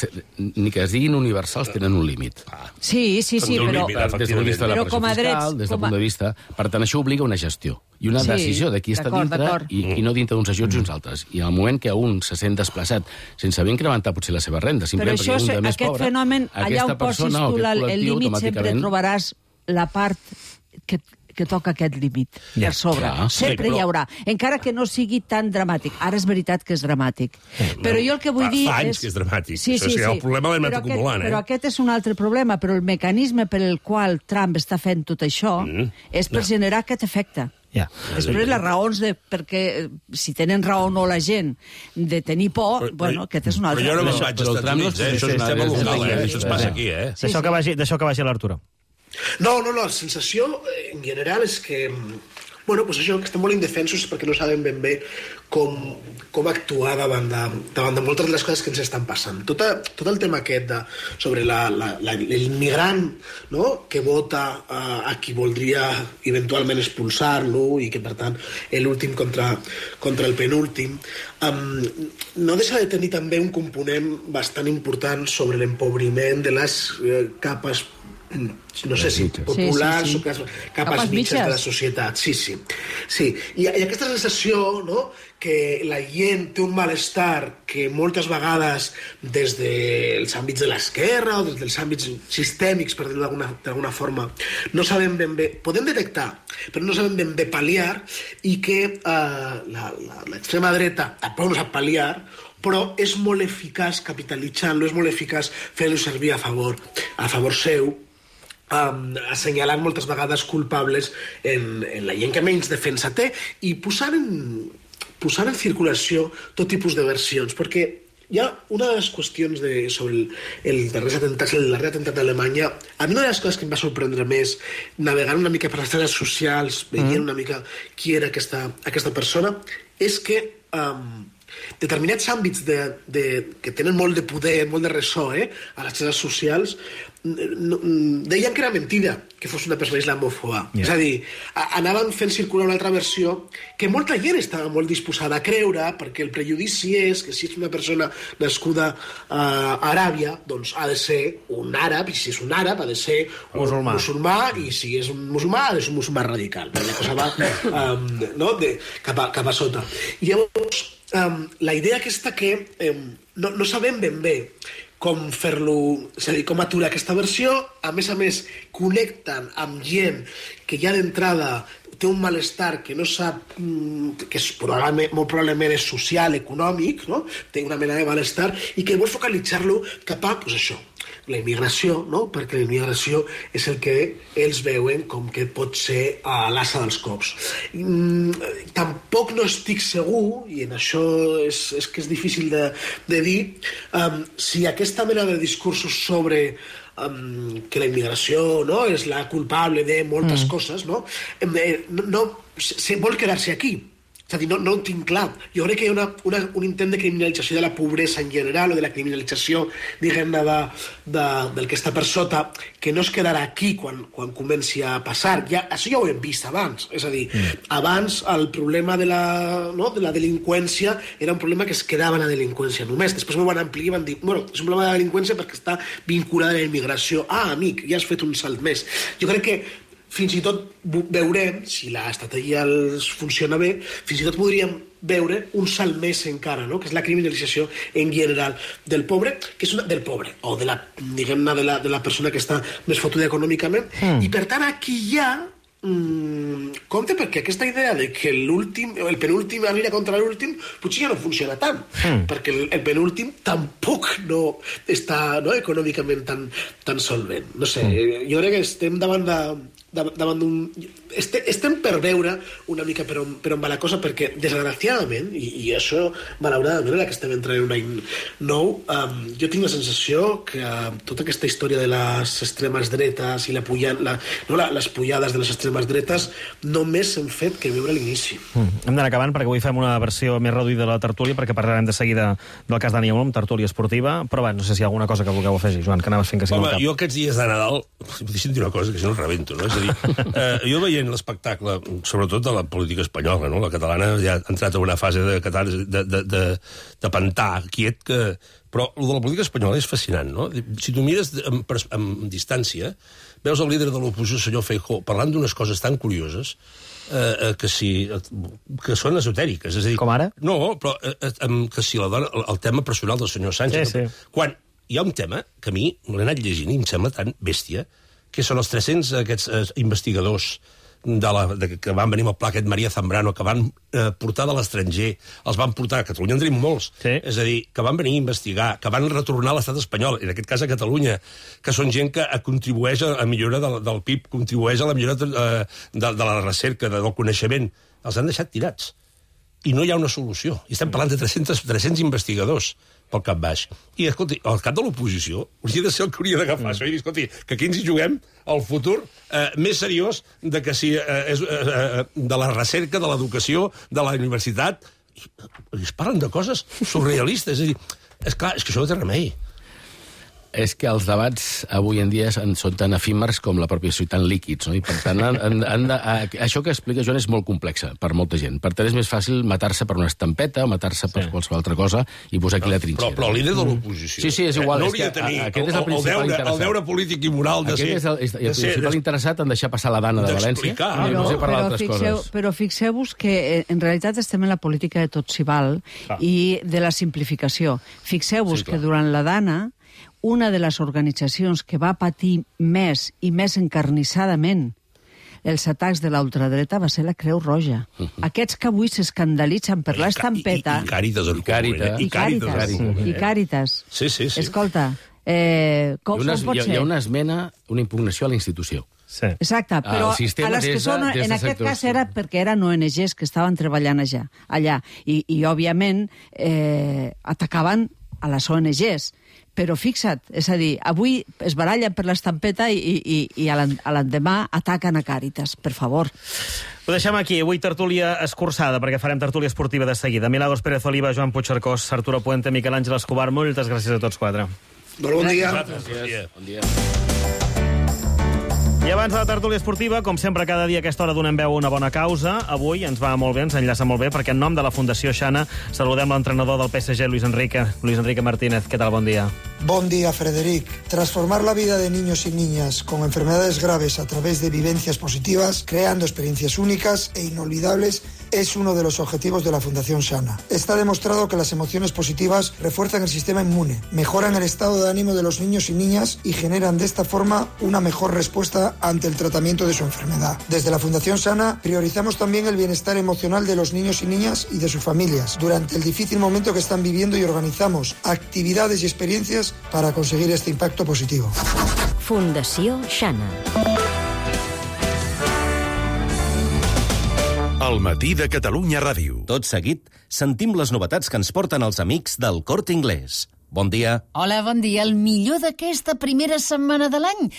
ni que es diguin universals, tenen un límit. Sí, però... Des del punt de vista de la pressió fiscal, des del punt de vista... Per tant, això obliga una gestió i una decisió de qui està dintre i qui no dintre d'uns ajuts i uns altres. I al moment que un se sent desplaçat sense haver incrementat potser la seva renda, simplement perquè un de més pobre... Aquest fenomen, allà on posis tu el límit, sempre trobaràs la part que toca aquest límit per sobre. Sempre hi haurà. Encara que no sigui tan dramàtic. Ara és veritat que és dramàtic. Però jo el que vull dir és... Fa anys que és dramàtic. El problema l'hem anat acumulant. Però aquest és un altre problema. Però el mecanisme per el qual Trump està fent tot això és per generar aquest efecte. Després les raons perquè si tenen raó o no la gent de tenir por, bueno, aquest és un altre. Però jo no me'n vaig als Estats Units, això és un tema local, això es passa aquí, D'això que vagi l'Arturo. No, la sensació en general és que, bueno, pues això, que estem molt indefensos perquè no sabem ben bé com actuar davant de moltes de les coses que ens estan passant. Tot el tema aquest sobre l'immigrant, no?, que vota a qui voldria eventualment expulsar-lo i que, per tant, l'últim contra el penúltim, no deixa de tenir també un component bastant important sobre l'empobriment de les capes no sé si populars o capes mitges de la societat. Sí. I aquesta sensació, no?, que la gent té un malestar que moltes vegades des dels àmbits de l'esquerra o des dels àmbits sistèmics, per dir-ho d'alguna forma, no sabem ben bé, podem detectar, però no sabem ben bé pal·liar, i que l'extrema dreta tampoc no sap pal·liar, però és molt eficaç capitalitzant-lo, és molt eficaç fent-lo servir a favor seu, assenyalant moltes vegades culpables en la gent que menys defensa té i posant en circulació tot tipus de versions, perquè hi ha una de les qüestions sobre el darrer atemptat d'Alemanya. A mi una de les coses que em va sorprendre més, navegant una mica per les xarxes socials, veient una mica qui era aquesta persona, és que determinats àmbits que tenen molt de poder, molt de ressò a les xarxes socials, deien que era mentida que fos una persona islamòfoba. És a dir, anaven fent circular una altra versió que molta gent estava molt disposada a creure, perquè el prejudici és que si és una persona nascuda a Aràbia, doncs ha de ser un àrab, i si és un àrab ha de ser un musulmà, i si és un musulmà ha de ser un musulmà radical. La cosa va cap a sota. I llavors, la idea aquesta que no sabem ben bé com fer-lo, és a dir, com aturar aquesta versió, a més, connecten amb gent que ja d'entrada té un malestar que no sap, que molt probablement és social, econòmic, no?, té una mena de malestar, i que vol focalitzar-lo cap a, doncs això, la immigració, no?, perquè la immigració és el que ells veuen com que pot ser l'asa dels cops. Tampoc no estic segur, i en això és que és difícil de dir, si aquesta mena de discursos sobre que la immigració, no?, és la culpable de moltes coses, no vol quedar-se aquí. És a dir, no ho tinc clar. Jo crec que hi ha un intent de criminalització de la pobresa en general, o de la criminalització, diguem-ne, del que està per sota, que no es quedarà aquí quan comenci a passar. Això ja ho hem vist abans. És a dir, abans el problema de la delinqüència era un problema que es quedava en la delinqüència només. Després ho van ampliar i van dir, bueno, és un problema de delinqüència perquè està vinculada a la immigració. Ah, amic, ja has fet un salt més. Jo crec que fins i tot veurem, si l'estratègia funciona bé, fins i tot podríem veure un salt més encara, no? Que és la criminalització en general del pobre, que és del pobre, o de la, diguem-ne, de la persona que està més fotuda econòmicament, i per tant aquí hi ha compte, perquè aquesta idea de que el penúltim anirà contra l'últim potser ja no funciona tant, perquè el penúltim tampoc no està econòmicament tan solvent. No sé, jo crec que estem davant d'un... Estem per veure una mica per on va la cosa, perquè desgraciadament, i això malauradament ara que estem entrant en un any nou, jo tinc la sensació que tota aquesta història de les extremes dretes i les pujades de les extremes dretes només hem fet que veure l'inici. Hem d'anar acabant perquè avui fem una versió més reduïda de la tertúlia, perquè parlarem de seguida del cas Dani Olmo, tertúlia esportiva, però bé, no sé si hi ha alguna cosa que vulgueu afegir, Joan, que anaves fent que sigui Home, jo aquests dies de Nadal, deixa'm dir una cosa, que si no el rebento, no? És a dir, jo veient l'espectacle, sobretot de la política espanyola, no? La catalana ja ha entrat en una fase de pantà quiet, però el de la política espanyola és fascinant, no? Si tu mires amb distància, veus el líder de l'oposició, senyor Feijóo, parlant d'unes coses tan curioses que són esotèriques. És a dir, com ara? No, però que si la dona, el tema personal del senyor Sánchez... Sí. Quan hi ha un tema que a mi l'he anat llegint i em sembla tan bèstia, que són els 300 aquests investigadors que van venir amb el pla aquest María Zambrano, que van portar de l'estranger, els van portar a Catalunya, en tenim molts, és a dir, que van venir a investigar, que van retornar a l'estat espanyol, en aquest cas a Catalunya, que són gent que contribueix a la millora del PIB, contribueix a la millora de la recerca, del coneixement. Els han deixat tirats. I no hi ha una solució. I estem parlant de 300 investigadors pel cap baix. I, escolti, el cap de l'oposició hauria de ser el que hauria d'agafar això i dir, escolti, que aquí ens hi juguem el futur més seriós de que si és de la recerca, de l'educació, de la universitat. I es parlen de coses surrealistes. És a dir, és clar, és que això no té remei. És que els debats avui en dia són tan efímers com la pròpia societat, tan líquids, no? I per tant, això que explica Joan és molt complexa per molta gent. Per tant, és més fàcil matar-se per una estampeta, matar-se per qualsevol altra cosa i posar aquí la trinxera. Però el líder de l'oposició... Sí, és igual. No hauria de tenir el deure polític i moral de ser... Aquest és el principal interessat en deixar passar la dana de València i no sé parlar d'altres coses. Però fixeu-vos que en realitat estem en la política de tot s'hi val i de la simplificació. Fixeu-vos que durant la dana una de les organitzacions que va patir més i més encarnissadament els atacs de l'ultradreta va ser la Creu Roja. Aquests que avui s'escandalitzen per l'estampeta... I Càritas. I Càritas. Sí. Escolta, com pot ser? Hi ha una esmena, una impugnació a la institució. Sí. Exacte, però a les que són, en aquest cas era perquè eren ONGs que estaven treballant allà. I òbviament, atacaven a les ONGs. Però fixa't, és a dir, avui es barallen per l'estampeta i a l'endemà ataquen a Càritas, per favor. Ho deixem aquí. Avui tertúlia escurçada, perquè farem tertúlia esportiva de seguida. Milagros Pérez Oliva, Joan Puigcercós, Arturo Puente, Miquel Àngel Escobar, moltes gràcies a tots quatre. Bon dia. Bon dia. I abans de la tertúlia esportiva, com sempre, cada dia a aquesta hora donem veu a una bona causa. Avui ens va molt bé, ens enllaça molt bé, perquè en nom de la Fundació Xana saludem l'entrenador del PSG, Luis Enrique Martínez. Què tal? Bon dia. Bon día, Frederic. Transformar la vida de niños y niñas con enfermedades graves a través de vivencias positivas, creando experiencias únicas e inolvidables, es uno de los objetivos de la Fundación Xana. Está demostrado que las emociones positivas refuerzan el sistema inmune, mejoran el estado de ánimo de los niños y niñas y generan de esta forma una mejor respuesta ante el tratamiento de su enfermedad. Desde la Fundación Xana priorizamos también el bienestar emocional de los niños y niñas y de sus familias durante el difícil momento que están viviendo y organizamos actividades y experiencias para conseguir este impacto positivo. Fundació Xana. El matí de Catalunya Ràdio. Tot seguit, sentim les novetats que ens porten els amics del Corte Inglés. Bon dia. Hola, bon dia. El millor d'aquesta primera setmana de l'any.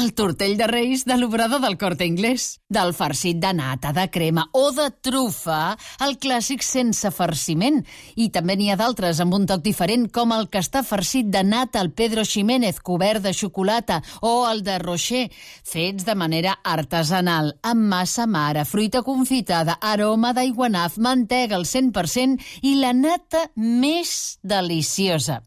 El tortell de Reis de l'obrador del Corte Inglés. Del farcit de nata, de crema o de trufa, el clàssic sense farciment. I també n'hi ha d'altres amb un toc diferent, com el que està farcit de nata al Pedro Ximénez, cobert de xocolata, o el de Rocher, fets de manera artesanal, amb massa mare, fruita confitada, aroma d'aiguanaf, mantega al 100% i la nata més deliciosa.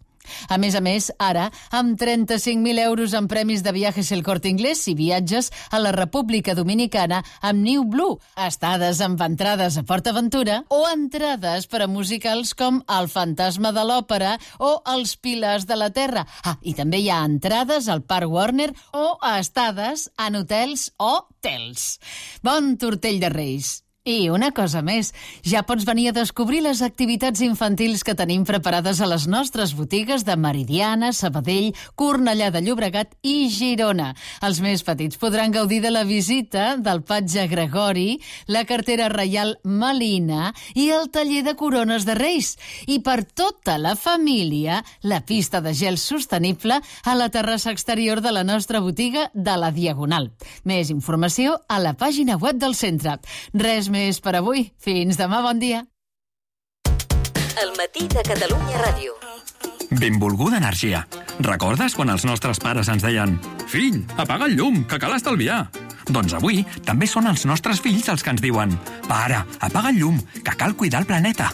A més, ara, amb 35.000 euros en premis de Viajes El Corte Inglés si viatges a la República Dominicana amb New Blue, estades amb entrades a PortAventura o entrades per a musicals com El fantasma de l'òpera o Els pilars de la terra. I també hi ha entrades al Parc Warner o a estades en hotels o tels. Bon Tortell de Reis! I una cosa més, ja pots venir a descobrir les activitats infantils que tenim preparades a les nostres botigues de Meridiana, Sabadell, Cornellà de Llobregat i Girona. Els més petits podran gaudir de la visita del patge Gregori, la cartera reial Melina i el taller de corones de Reis. I per tota la família, la pista de gel sostenible a la terrassa exterior de la nostra botiga de la Diagonal. Més informació a la pàgina web del centre. Res més per avui. Fins demà, bon dia. El matí de Catalunya Ràdio. Benvolguda energia. Recordes quan els nostres pares ens deien «Fill, apaga el llum, que cal estalviar»? Doncs avui també són els nostres fills els que ens diuen «Pare, apaga el llum, que cal cuidar el planeta».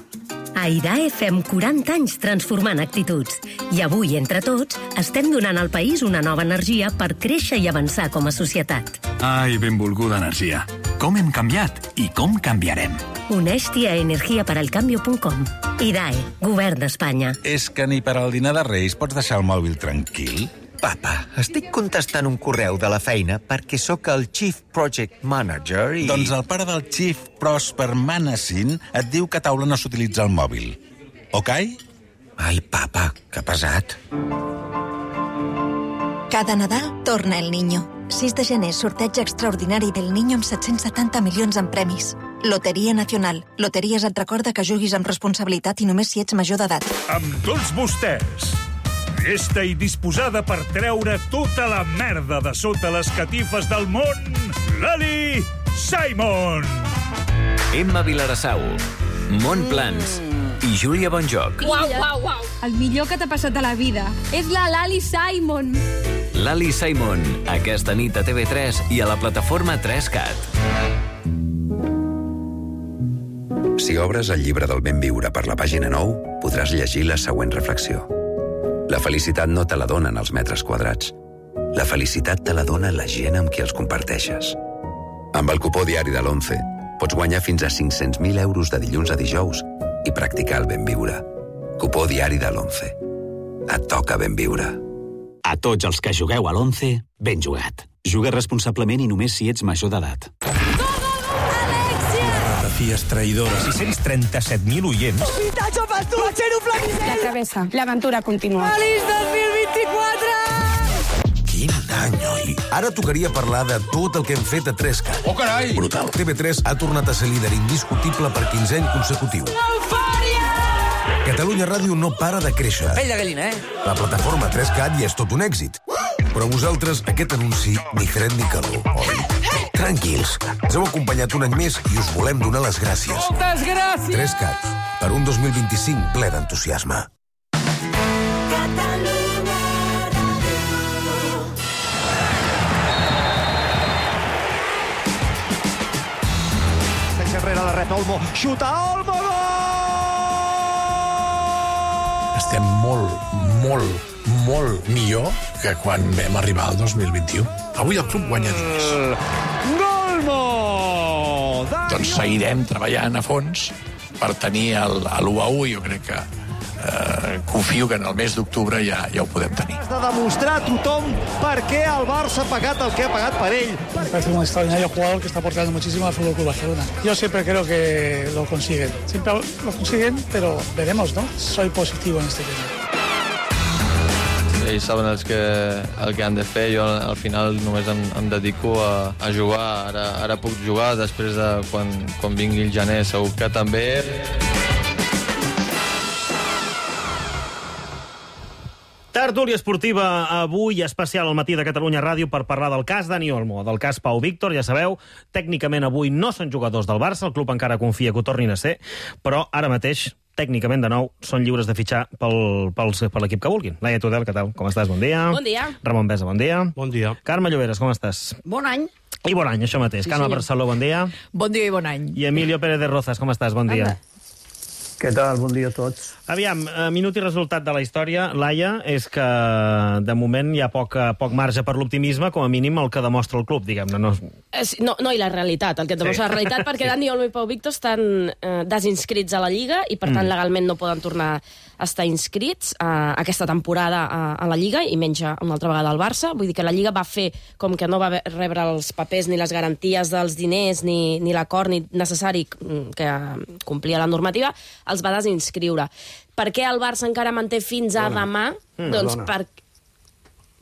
A IDAE fem 40 anys transformant actituds. I avui, entre tots, estem donant al país una nova energia per créixer i avançar com a societat. Ai, benvolguda energia. Com hem canviat i com canviarem. Uneix-t'hi a energiaperalcambio.com. IDAE, Govern d'Espanya. És que ni per al dinar de Reis pots deixar el mòbil tranquil? Papa, estic contestant un correu de la feina perquè sóc el Chief Project Manager i... Doncs el pare del Chief Prosper Manassin et diu que a taula no s'utilitza el mòbil. Ok? Ai, papa, que pesat. Cada Nadal torna el Niño. 6 de gener, sorteig extraordinari del Niño amb 770 milions en premis. Loteria Nacional. Loteries et recorda que juguis amb responsabilitat i només si ets major d'edat. Amb tots vostès, llesta i disposada per treure tota la merda de sota les catifes del món, Lali Simon. Emma Vilarassau, Mont Plans i Júlia Bonjoc. Uau, uau, uau. El millor que t'ha passat a la vida és la Lali Simon. Lali Simon, aquesta nit a TV3 i a la plataforma 3CAT. Si obres el llibre del ben viure per la pàgina 9, podràs llegir la següent reflexió. La felicitat no te la donen els metres quadrats. La felicitat te la dona la gent amb qui els comparteixes. Amb el cupó diari de l'11 pots guanyar fins a 500.000 euros de dilluns a dijous i practicar el ben viure. Cupó diari de l'11. Et toca ben viure. A tots els que jugueu a l'11, ben jugat. Juga responsablement i només si ets major d'edat. Fies traïdores. 637.000 oients. Vintatge per tu! Batxero Flaminenc! La travessa. L'aventura continua. Feliç 2024! Quin any, oi? Ara tocaria parlar de tot el que hem fet a 3CAT. Oh, carai! Brutal. TV3 ha tornat a ser líder indiscutible per 15 any consecutiu. Eufòria! Catalunya Ràdio no para de créixer. Pell de gallina, La plataforma 3CAT ja és tot un èxit. Però a vosaltres aquest anunci ni fred ni calor, oi? Tranquils, ens heu acompanyat un any més i us volem donar les gràcies. Moltes gràcies! 3CAT, per un 2025 ple d'entusiasme. Sense enrere la reta, Olmo. Xuta, Olmo, gol! Estem molt millor que quan vam arribar al 2021. Avui el club guanya diners. Golmo! Doncs seguirem treballant a fons per tenir l'1-1 i jo crec que confio que en el mes d'octubre ja ho podem tenir. Has de demostrar a tothom per què el Barça ha pagat el que ha pagat per ell. Me parece un extraordinario jugador que está aportando muchísimo al Fútbol Club Barcelona. Yo siempre creo que lo consiguen. Siempre lo consiguen, pero veremos, ¿no? Soy positivo en este tema. Ells saben el que han de fer, jo al final només em dedico a jugar. Ara puc jugar, després de quan vingui el gener segur que també. Tertúlia esportiva avui especial al matí de Catalunya Ràdio per parlar del cas Dani Olmo, del cas Pau Víctor. Ja sabeu, tècnicament avui no són jugadors del Barça, el club encara confia que ho tornin a ser, però ara mateix tècnicament, de nou, són lliures de fitxar per l'equip que vulguin. Laia Tudel, què tal? Com estàs? Bon dia. Bon dia. Ramon Besa, bon dia. Bon dia. Carme Lloberes, com estàs? Bon any. I bon any, això mateix. Sí, Carme senyor. Barceló, bon dia. Bon dia i bon any. I Emilio Pérez de Rozas, com estàs? Bon dia. Què tal? Bon dia a tots. Aviam, minut i resultat de la història, Laia, és que de moment hi ha poc marge per l'optimisme, com a mínim el que demostra el club, diguem-ne. No, i la realitat, el que demostra la realitat, perquè Dani Olmo i Pau Víctor estan desinscrits a la Lliga i, per tant, legalment no poden tornar a estar inscrits aquesta temporada a la Lliga i menys una altra vegada al Barça. Vull dir que la Lliga va fer com que no va rebre els papers ni les garanties dels diners ni l'acord necessari que complia la normativa, els va desinscriure. Per què el Barça encara manté fins a demà? Doncs per...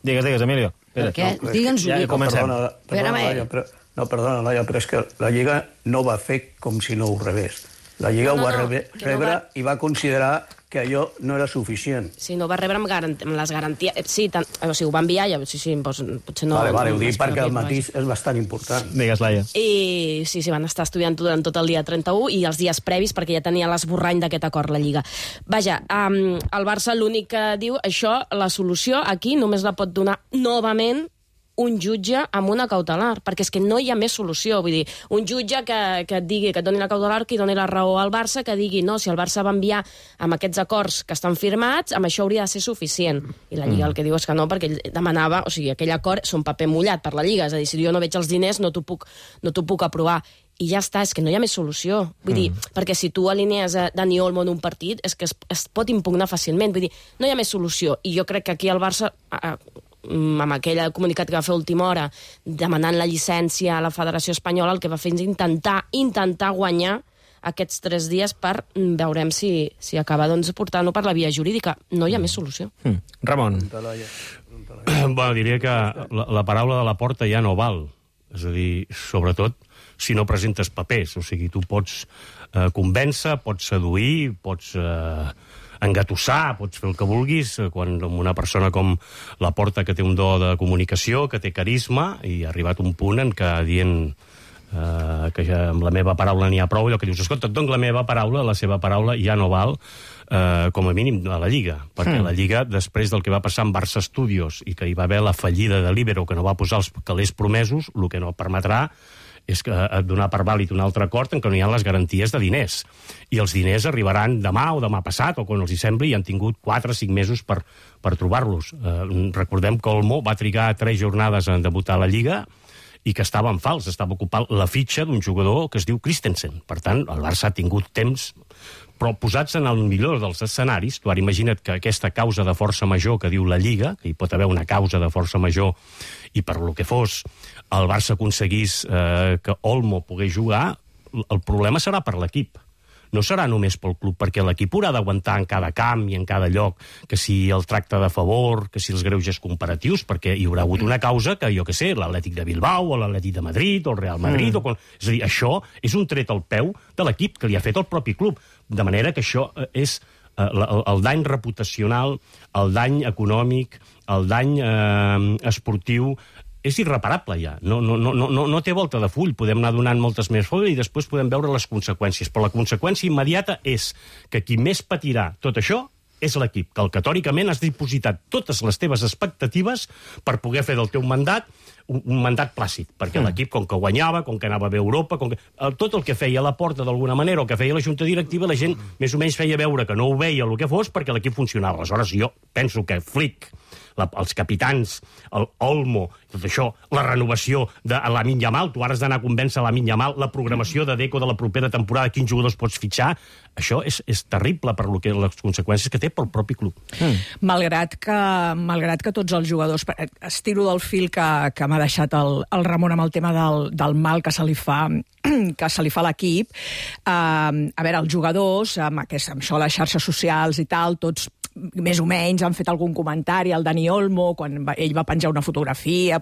Digues, Emilio. Per què? Digue'ns-ho. Ja comencem. Perdona, Laia, però és que la Lliga no va fer com si no ho rebés. La Lliga ho va rebre i va considerar que allò no era suficient. Sí, no va rebre amb les garanties... Sí, o sigui, ho va enviar, potser no... Vale, ho dic perquè el matís és bastant important. Digues, Laia. I sí, van estar estudiant durant tot el dia 31 i els dies previs, perquè ja tenia l'esborrany d'aquest acord la Lliga. Vaja, el Barça l'únic que diu, això, la solució aquí només la pot donar novament un jutge amb una cautelar, perquè és que no hi ha més solució. Vull dir, un jutge que et digui, que et doni la cautelar, que doni la raó al Barça, que digui, no, si el Barça va enviar amb aquests acords que estan firmats, amb això hauria de ser suficient. I la Lliga el que diu és que no, perquè ell demanava, o sigui, aquell acord és un paper mullat per la Lliga, és a dir, si jo no veig els diners no t'ho puc aprovar. I ja està, és que no hi ha més solució. Vull dir, perquè si tu alinees a Dani Olmo en un partit, és que es pot impugnar fàcilment. Vull dir, no hi ha més solució. I jo crec que aquí el Barça... amb aquell comunicat que va fer a última hora demanant la llicència a la Federació Espanyola, el que va fer és intentar guanyar aquests 3 dies per veurem si acaba portant-ho per la via jurídica. No hi ha més solució. Ramon. Bueno, diria que la paraula de la Porta ja no val. És a dir, sobretot si no presentes papers. O sigui, tu pots convèncer, pots seduir, pots... engatussar, pots fer el que vulguis, quan una persona com la Porta, que té un do de comunicació, que té carisma, i ha arribat un punt en què dient que ja amb la meva paraula n'hi ha prou, allò que dius, escolta, et dono la meva paraula, la seva paraula ja no val, com a mínim a la Lliga, perquè la Lliga, després del que va passar amb Barça Studios i que hi va haver la fallida de Libero, que no va posar els calés promesos, el que no permetrà és que donar per vàlid un altre acord en què no hi ha les garanties de diners. I els diners arribaran demà o demà passat, o quan els hi sembli, i han tingut 4 o 5 mesos per trobar-los. Recordem que Olmo va trigar 3 jornades en debutar a la Lliga i que estava en fals, estava ocupant la fitxa d'un jugador que es diu Christensen. Per tant, el Barça ha tingut temps, però posats en el millor dels escenaris, tu ara imagina't que aquesta causa de força major que diu la Lliga, que hi pot haver una causa de força major i per lo que fos el Barça aconseguís que Olmo pogués jugar, el problema serà per l'equip. No serà només pel club, perquè l'equip haurà d'aguantar en cada camp i en cada lloc que si el tracte de favor, que si els greuges comparatius, perquè hi haurà hagut una causa que, jo què sé, l'Atlètic de Bilbao o l'Atlètic de Madrid o el Real Madrid... És a dir, això és un tret al peu de l'equip que li ha fet el propi club. De manera que això és el dany reputacional, el dany econòmic, el dany esportiu... és irreparable ja, no té volta de full, podem anar donant moltes més folles i després podem veure les conseqüències, però la conseqüència immediata és que qui més patirà tot això és l'equip, que tòricament has dipositat totes les teves expectatives per poder fer del teu mandat un mandat plàcid, perquè l'equip, com que guanyava, com que anava a bé Europa, tot el que feia la Porta d'alguna manera o que feia la Junta Directiva, la gent més o menys feia veure que no ho veia el que fos perquè l'equip funcionava. Aleshores, jo penso que Flick, els capitans, el Olmo, tot això, la renovació de Lamine Yamal, tu ara has d'anar a convèncer Lamine Yamal, la programació de Deco de la propera temporada, quins jugadors pots fitxar, això és terrible per les conseqüències que té pel propi club. Malgrat que tots els jugadors... Estiro del fil que m'ha deixat el Ramon amb el tema del mal que se li fa a l'equip. A veure, els jugadors, amb això, les xarxes socials i tal, tots més o menys han fet algun comentari al Dani Olmo, quan ell va penjar una fotografia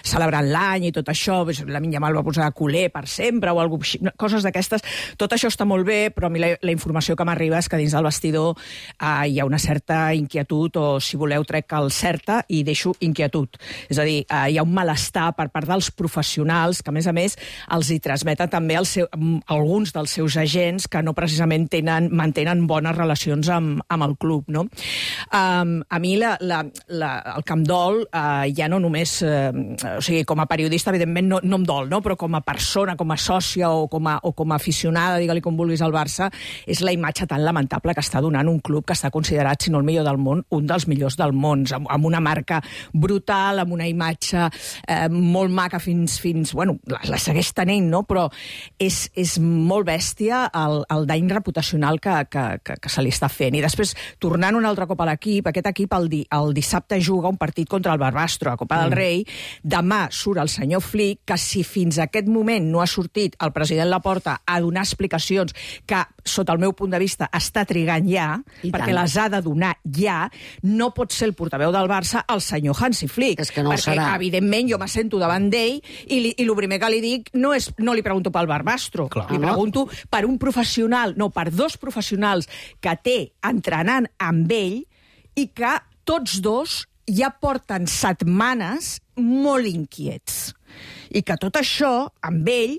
celebrant l'any i tot això, Lamine Yamal va posar culer per sempre o alguna cosa, coses d'aquestes. Tot això està molt bé, però a mi la informació que m'arriba és que dins del vestidor hi ha una certa inquietud, o si voleu trec el certa i deixo inquietud. És a dir, hi ha un malestar per part dels professionals que, a més, els hi transmeten també alguns dels seus agents que no precisament mantenen bones relacions amb el club, no? A mi el que em dol, ja no només... o sigui, com a periodista, evidentment, no em dol, no? Però com a persona, com a sòcia o com a aficionada, digue-li com vulguis, al Barça, és la imatge tan lamentable que està donant un club que està considerat, si no el millor del món, un dels millors del món, amb una marca brutal, amb una imatge molt maca fins bueno, la segueix tenint, no? Però és molt bèstia el dany reputacional que se li està fent. I després, tornant un altre cop a l'equip, aquest equip el dissabte juga un partit contra el Barbastro, a Copa del Rei. Demà surt el senyor Flick, que si fins a aquest moment no ha sortit el president Laporta a donar explicacions que, sota el meu punt de vista, està trigant ja, perquè les ha de donar ja, no pot ser el portaveu del Barça el senyor Hansi Flick. És que no perquè, serà. Evidentment, jo m'assento davant d'ell i el primer que li dic no li pregunto pel Barbastro, li pregunto per un professional, no, per dos professionals que té entrenant amb ell i que tots dos ja porten setmanes molt inquiets. I que tot això, amb ell,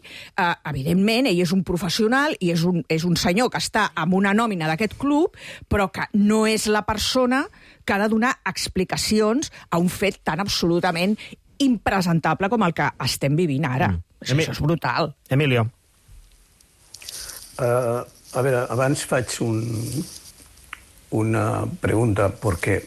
evidentment, ell és un professional i és un senyor que està amb una nòmina d'aquest club, però que no és la persona que ha de donar explicacions a un fet tan absolutament impresentable com el que estem vivint ara. Això és brutal. Emilio. A veure, abans faig una pregunta, porque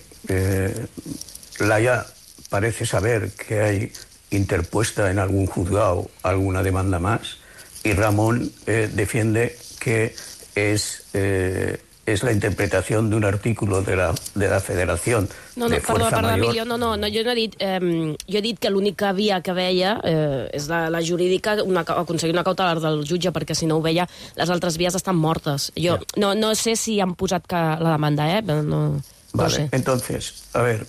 Laia parece saber que hay interpuesta en algún juzgado alguna demanda más, y Ramón defiende que es la interpretación de un artículo de la Federación de Fuerza Mayor. Emilio, no, jo no he dit... jo he dit que l'única via que veia és la jurídica, aconseguir una cautelar del jutge, perquè si no ho veia, les altres vies estan mortes. Jo no sé si han posat la demanda, no Vale, entonces, a ver,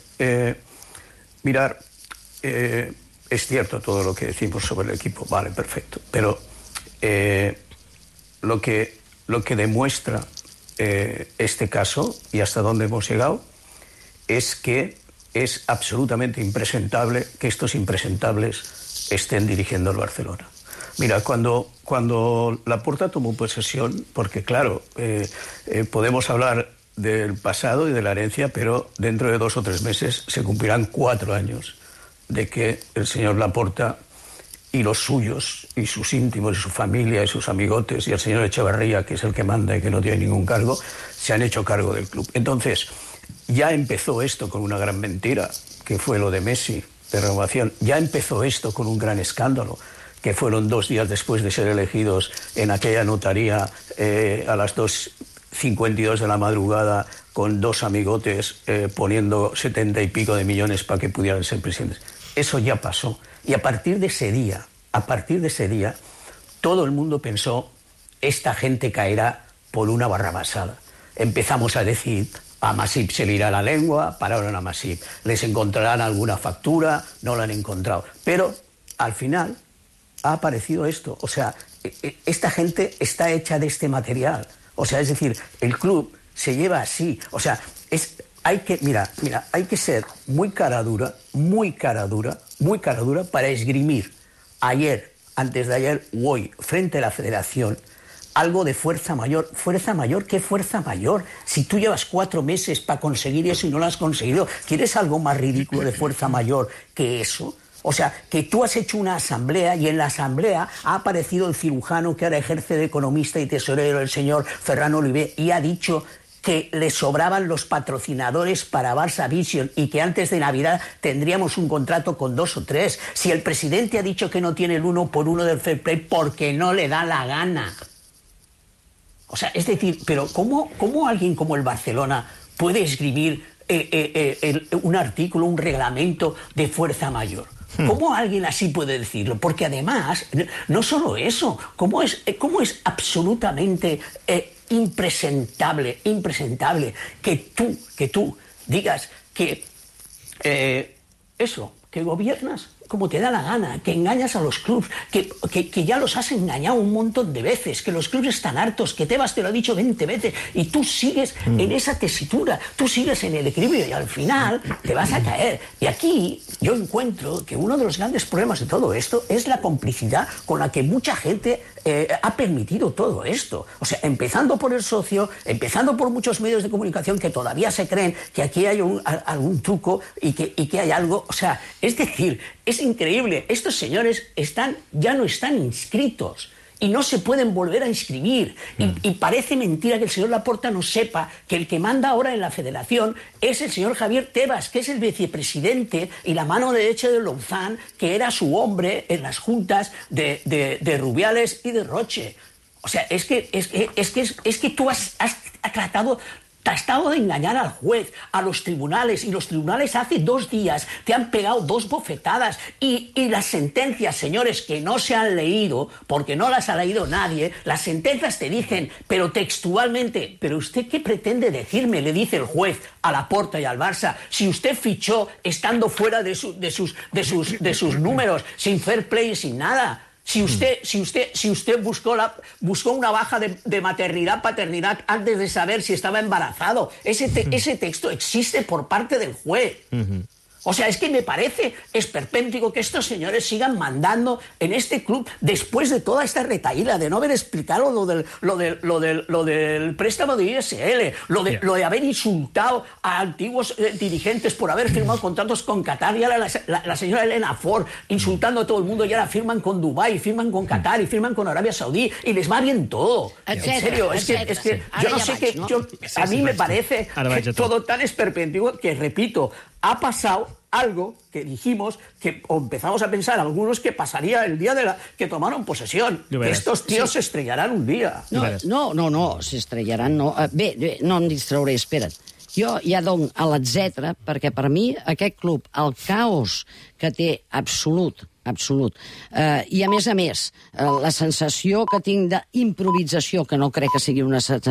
mirar, es cierto todo lo que decimos sobre el equipo, vale, perfecto, pero lo que demuestra este caso y hasta dónde hemos llegado es que es absolutamente impresentable que estos impresentables estén dirigiendo el Barcelona. Mira, cuando Laporta tomó posesión, porque claro, podemos hablar del pasado y de la herencia, pero dentro de 2 o 3 meses se cumplirán 4 años de que el señor Laporta y los suyos, y sus íntimos, y su familia, y sus amigotes, y el señor Echeverría, que es el que manda y que no tiene ningún cargo, se han hecho cargo del club. Entonces, ya empezó esto con una gran mentira, que fue lo de Messi, de renovación. Ya empezó esto con un gran escándalo, que fueron 2 días después de ser elegidos en aquella notaría a las 2:52 de la madrugada, con 2 amigotes poniendo 70 y pico de millones para que pudieran ser presidentes. Eso ya pasó. Y a partir de ese día, todo el mundo pensó, esta gente caerá por una barrabasada. Empezamos a decir, a Masip se le irá la lengua, pararon a Masip. Les encontrarán alguna factura, no la han encontrado. Pero al final ha aparecido esto. O sea, esta gente está hecha de este material. O sea, es decir, el club se lleva así. O sea, hay que ser muy cara dura para esgrimir ayer, antes de ayer o hoy, frente a la Federación, algo de fuerza mayor. ¿Fuerza mayor? ¿Qué fuerza mayor? Si tú llevas 4 meses para conseguir eso y no lo has conseguido, ¿quieres algo más ridículo de fuerza mayor que eso? O sea, que tú has hecho una asamblea y en la asamblea ha aparecido el cirujano que ahora ejerce de economista y tesorero, el señor Ferran Oliver, y ha dicho que le sobraban los patrocinadores para Barça Vision y que antes de Navidad tendríamos un contrato con 2 o 3. Si el presidente ha dicho que no tiene el 1 por 1 del fair play porque no le da la gana. O sea, es decir, pero ¿cómo alguien como el Barcelona puede escribir un artículo, un reglamento de fuerza mayor? ¿Cómo alguien así puede decirlo? Porque además, no solo eso, ¿cómo es absolutamente impresentable que tú digas que que gobiernas como te da la gana, que engañas a los clubs, que ya los has engañado un montón de veces, que los clubs están hartos, que Tebas te lo ha dicho 20 veces y tú sigues en esa tesitura, tú sigues en el equilibrio y al final te vas a caer. Y aquí yo encuentro que uno de los grandes problemas de todo esto es la complicidad con la que mucha gente ha permitido todo esto. O sea, empezando por el socio, empezando por muchos medios de comunicación que todavía se creen que aquí hay algún truco y que hay algo. O sea, es decir, es increíble. Estos señores ya no están inscritos y no se pueden volver a inscribir. Y parece mentira que el señor Laporta no sepa que el que manda ahora en la federación es el señor Javier Tebas, que es el vicepresidente y la mano derecha de Louzán, que era su hombre en las juntas de Rubiales y de Roche. O sea, es que tú has tratado de engañar al juez, a los tribunales, y los tribunales hace 2 días te han pegado 2 bofetadas y las sentencias, señores, que no se han leído, porque no las ha leído nadie, las sentencias te dicen, pero textualmente, ¿pero usted qué pretende decirme?, le dice el juez a Laporta y al Barça, si usted fichó estando fuera de sus números, sin fair play y sin nada. Si usted buscó una baja de maternidad, paternidad antes de saber si estaba embarazado, ese texto existe por parte del juez. O sea, es que me parece esperpéntico que estos señores sigan mandando en este club después de toda esta retaíla, de no haber explicado lo del préstamo de ISL, lo de haber insultado a antiguos dirigentes por haber firmado contratos con Qatar, y ahora la señora Elena Ford insultando a todo el mundo, y ahora firman con Dubái, firman con Qatar y firman con Arabia Saudí, y les va bien todo. Etcétera, en serio, etcétera, es que sí. yo no sé qué... A mí me parece todo tan esperpéntico que, repito, ha pasado algo que dijimos, o empezamos a pensar algunos, que pasaría el día que tomaron posesión. Que estos tíos se estrellarán un dia. No, s'estrellaran, no. Bé, no em distrauré, espera't. Jo ja dono a l'etcètera, perquè per mi aquest club, el caos que té absolut, i a més, la sensació que tinc d'improvisació, que no crec que sigui una sensació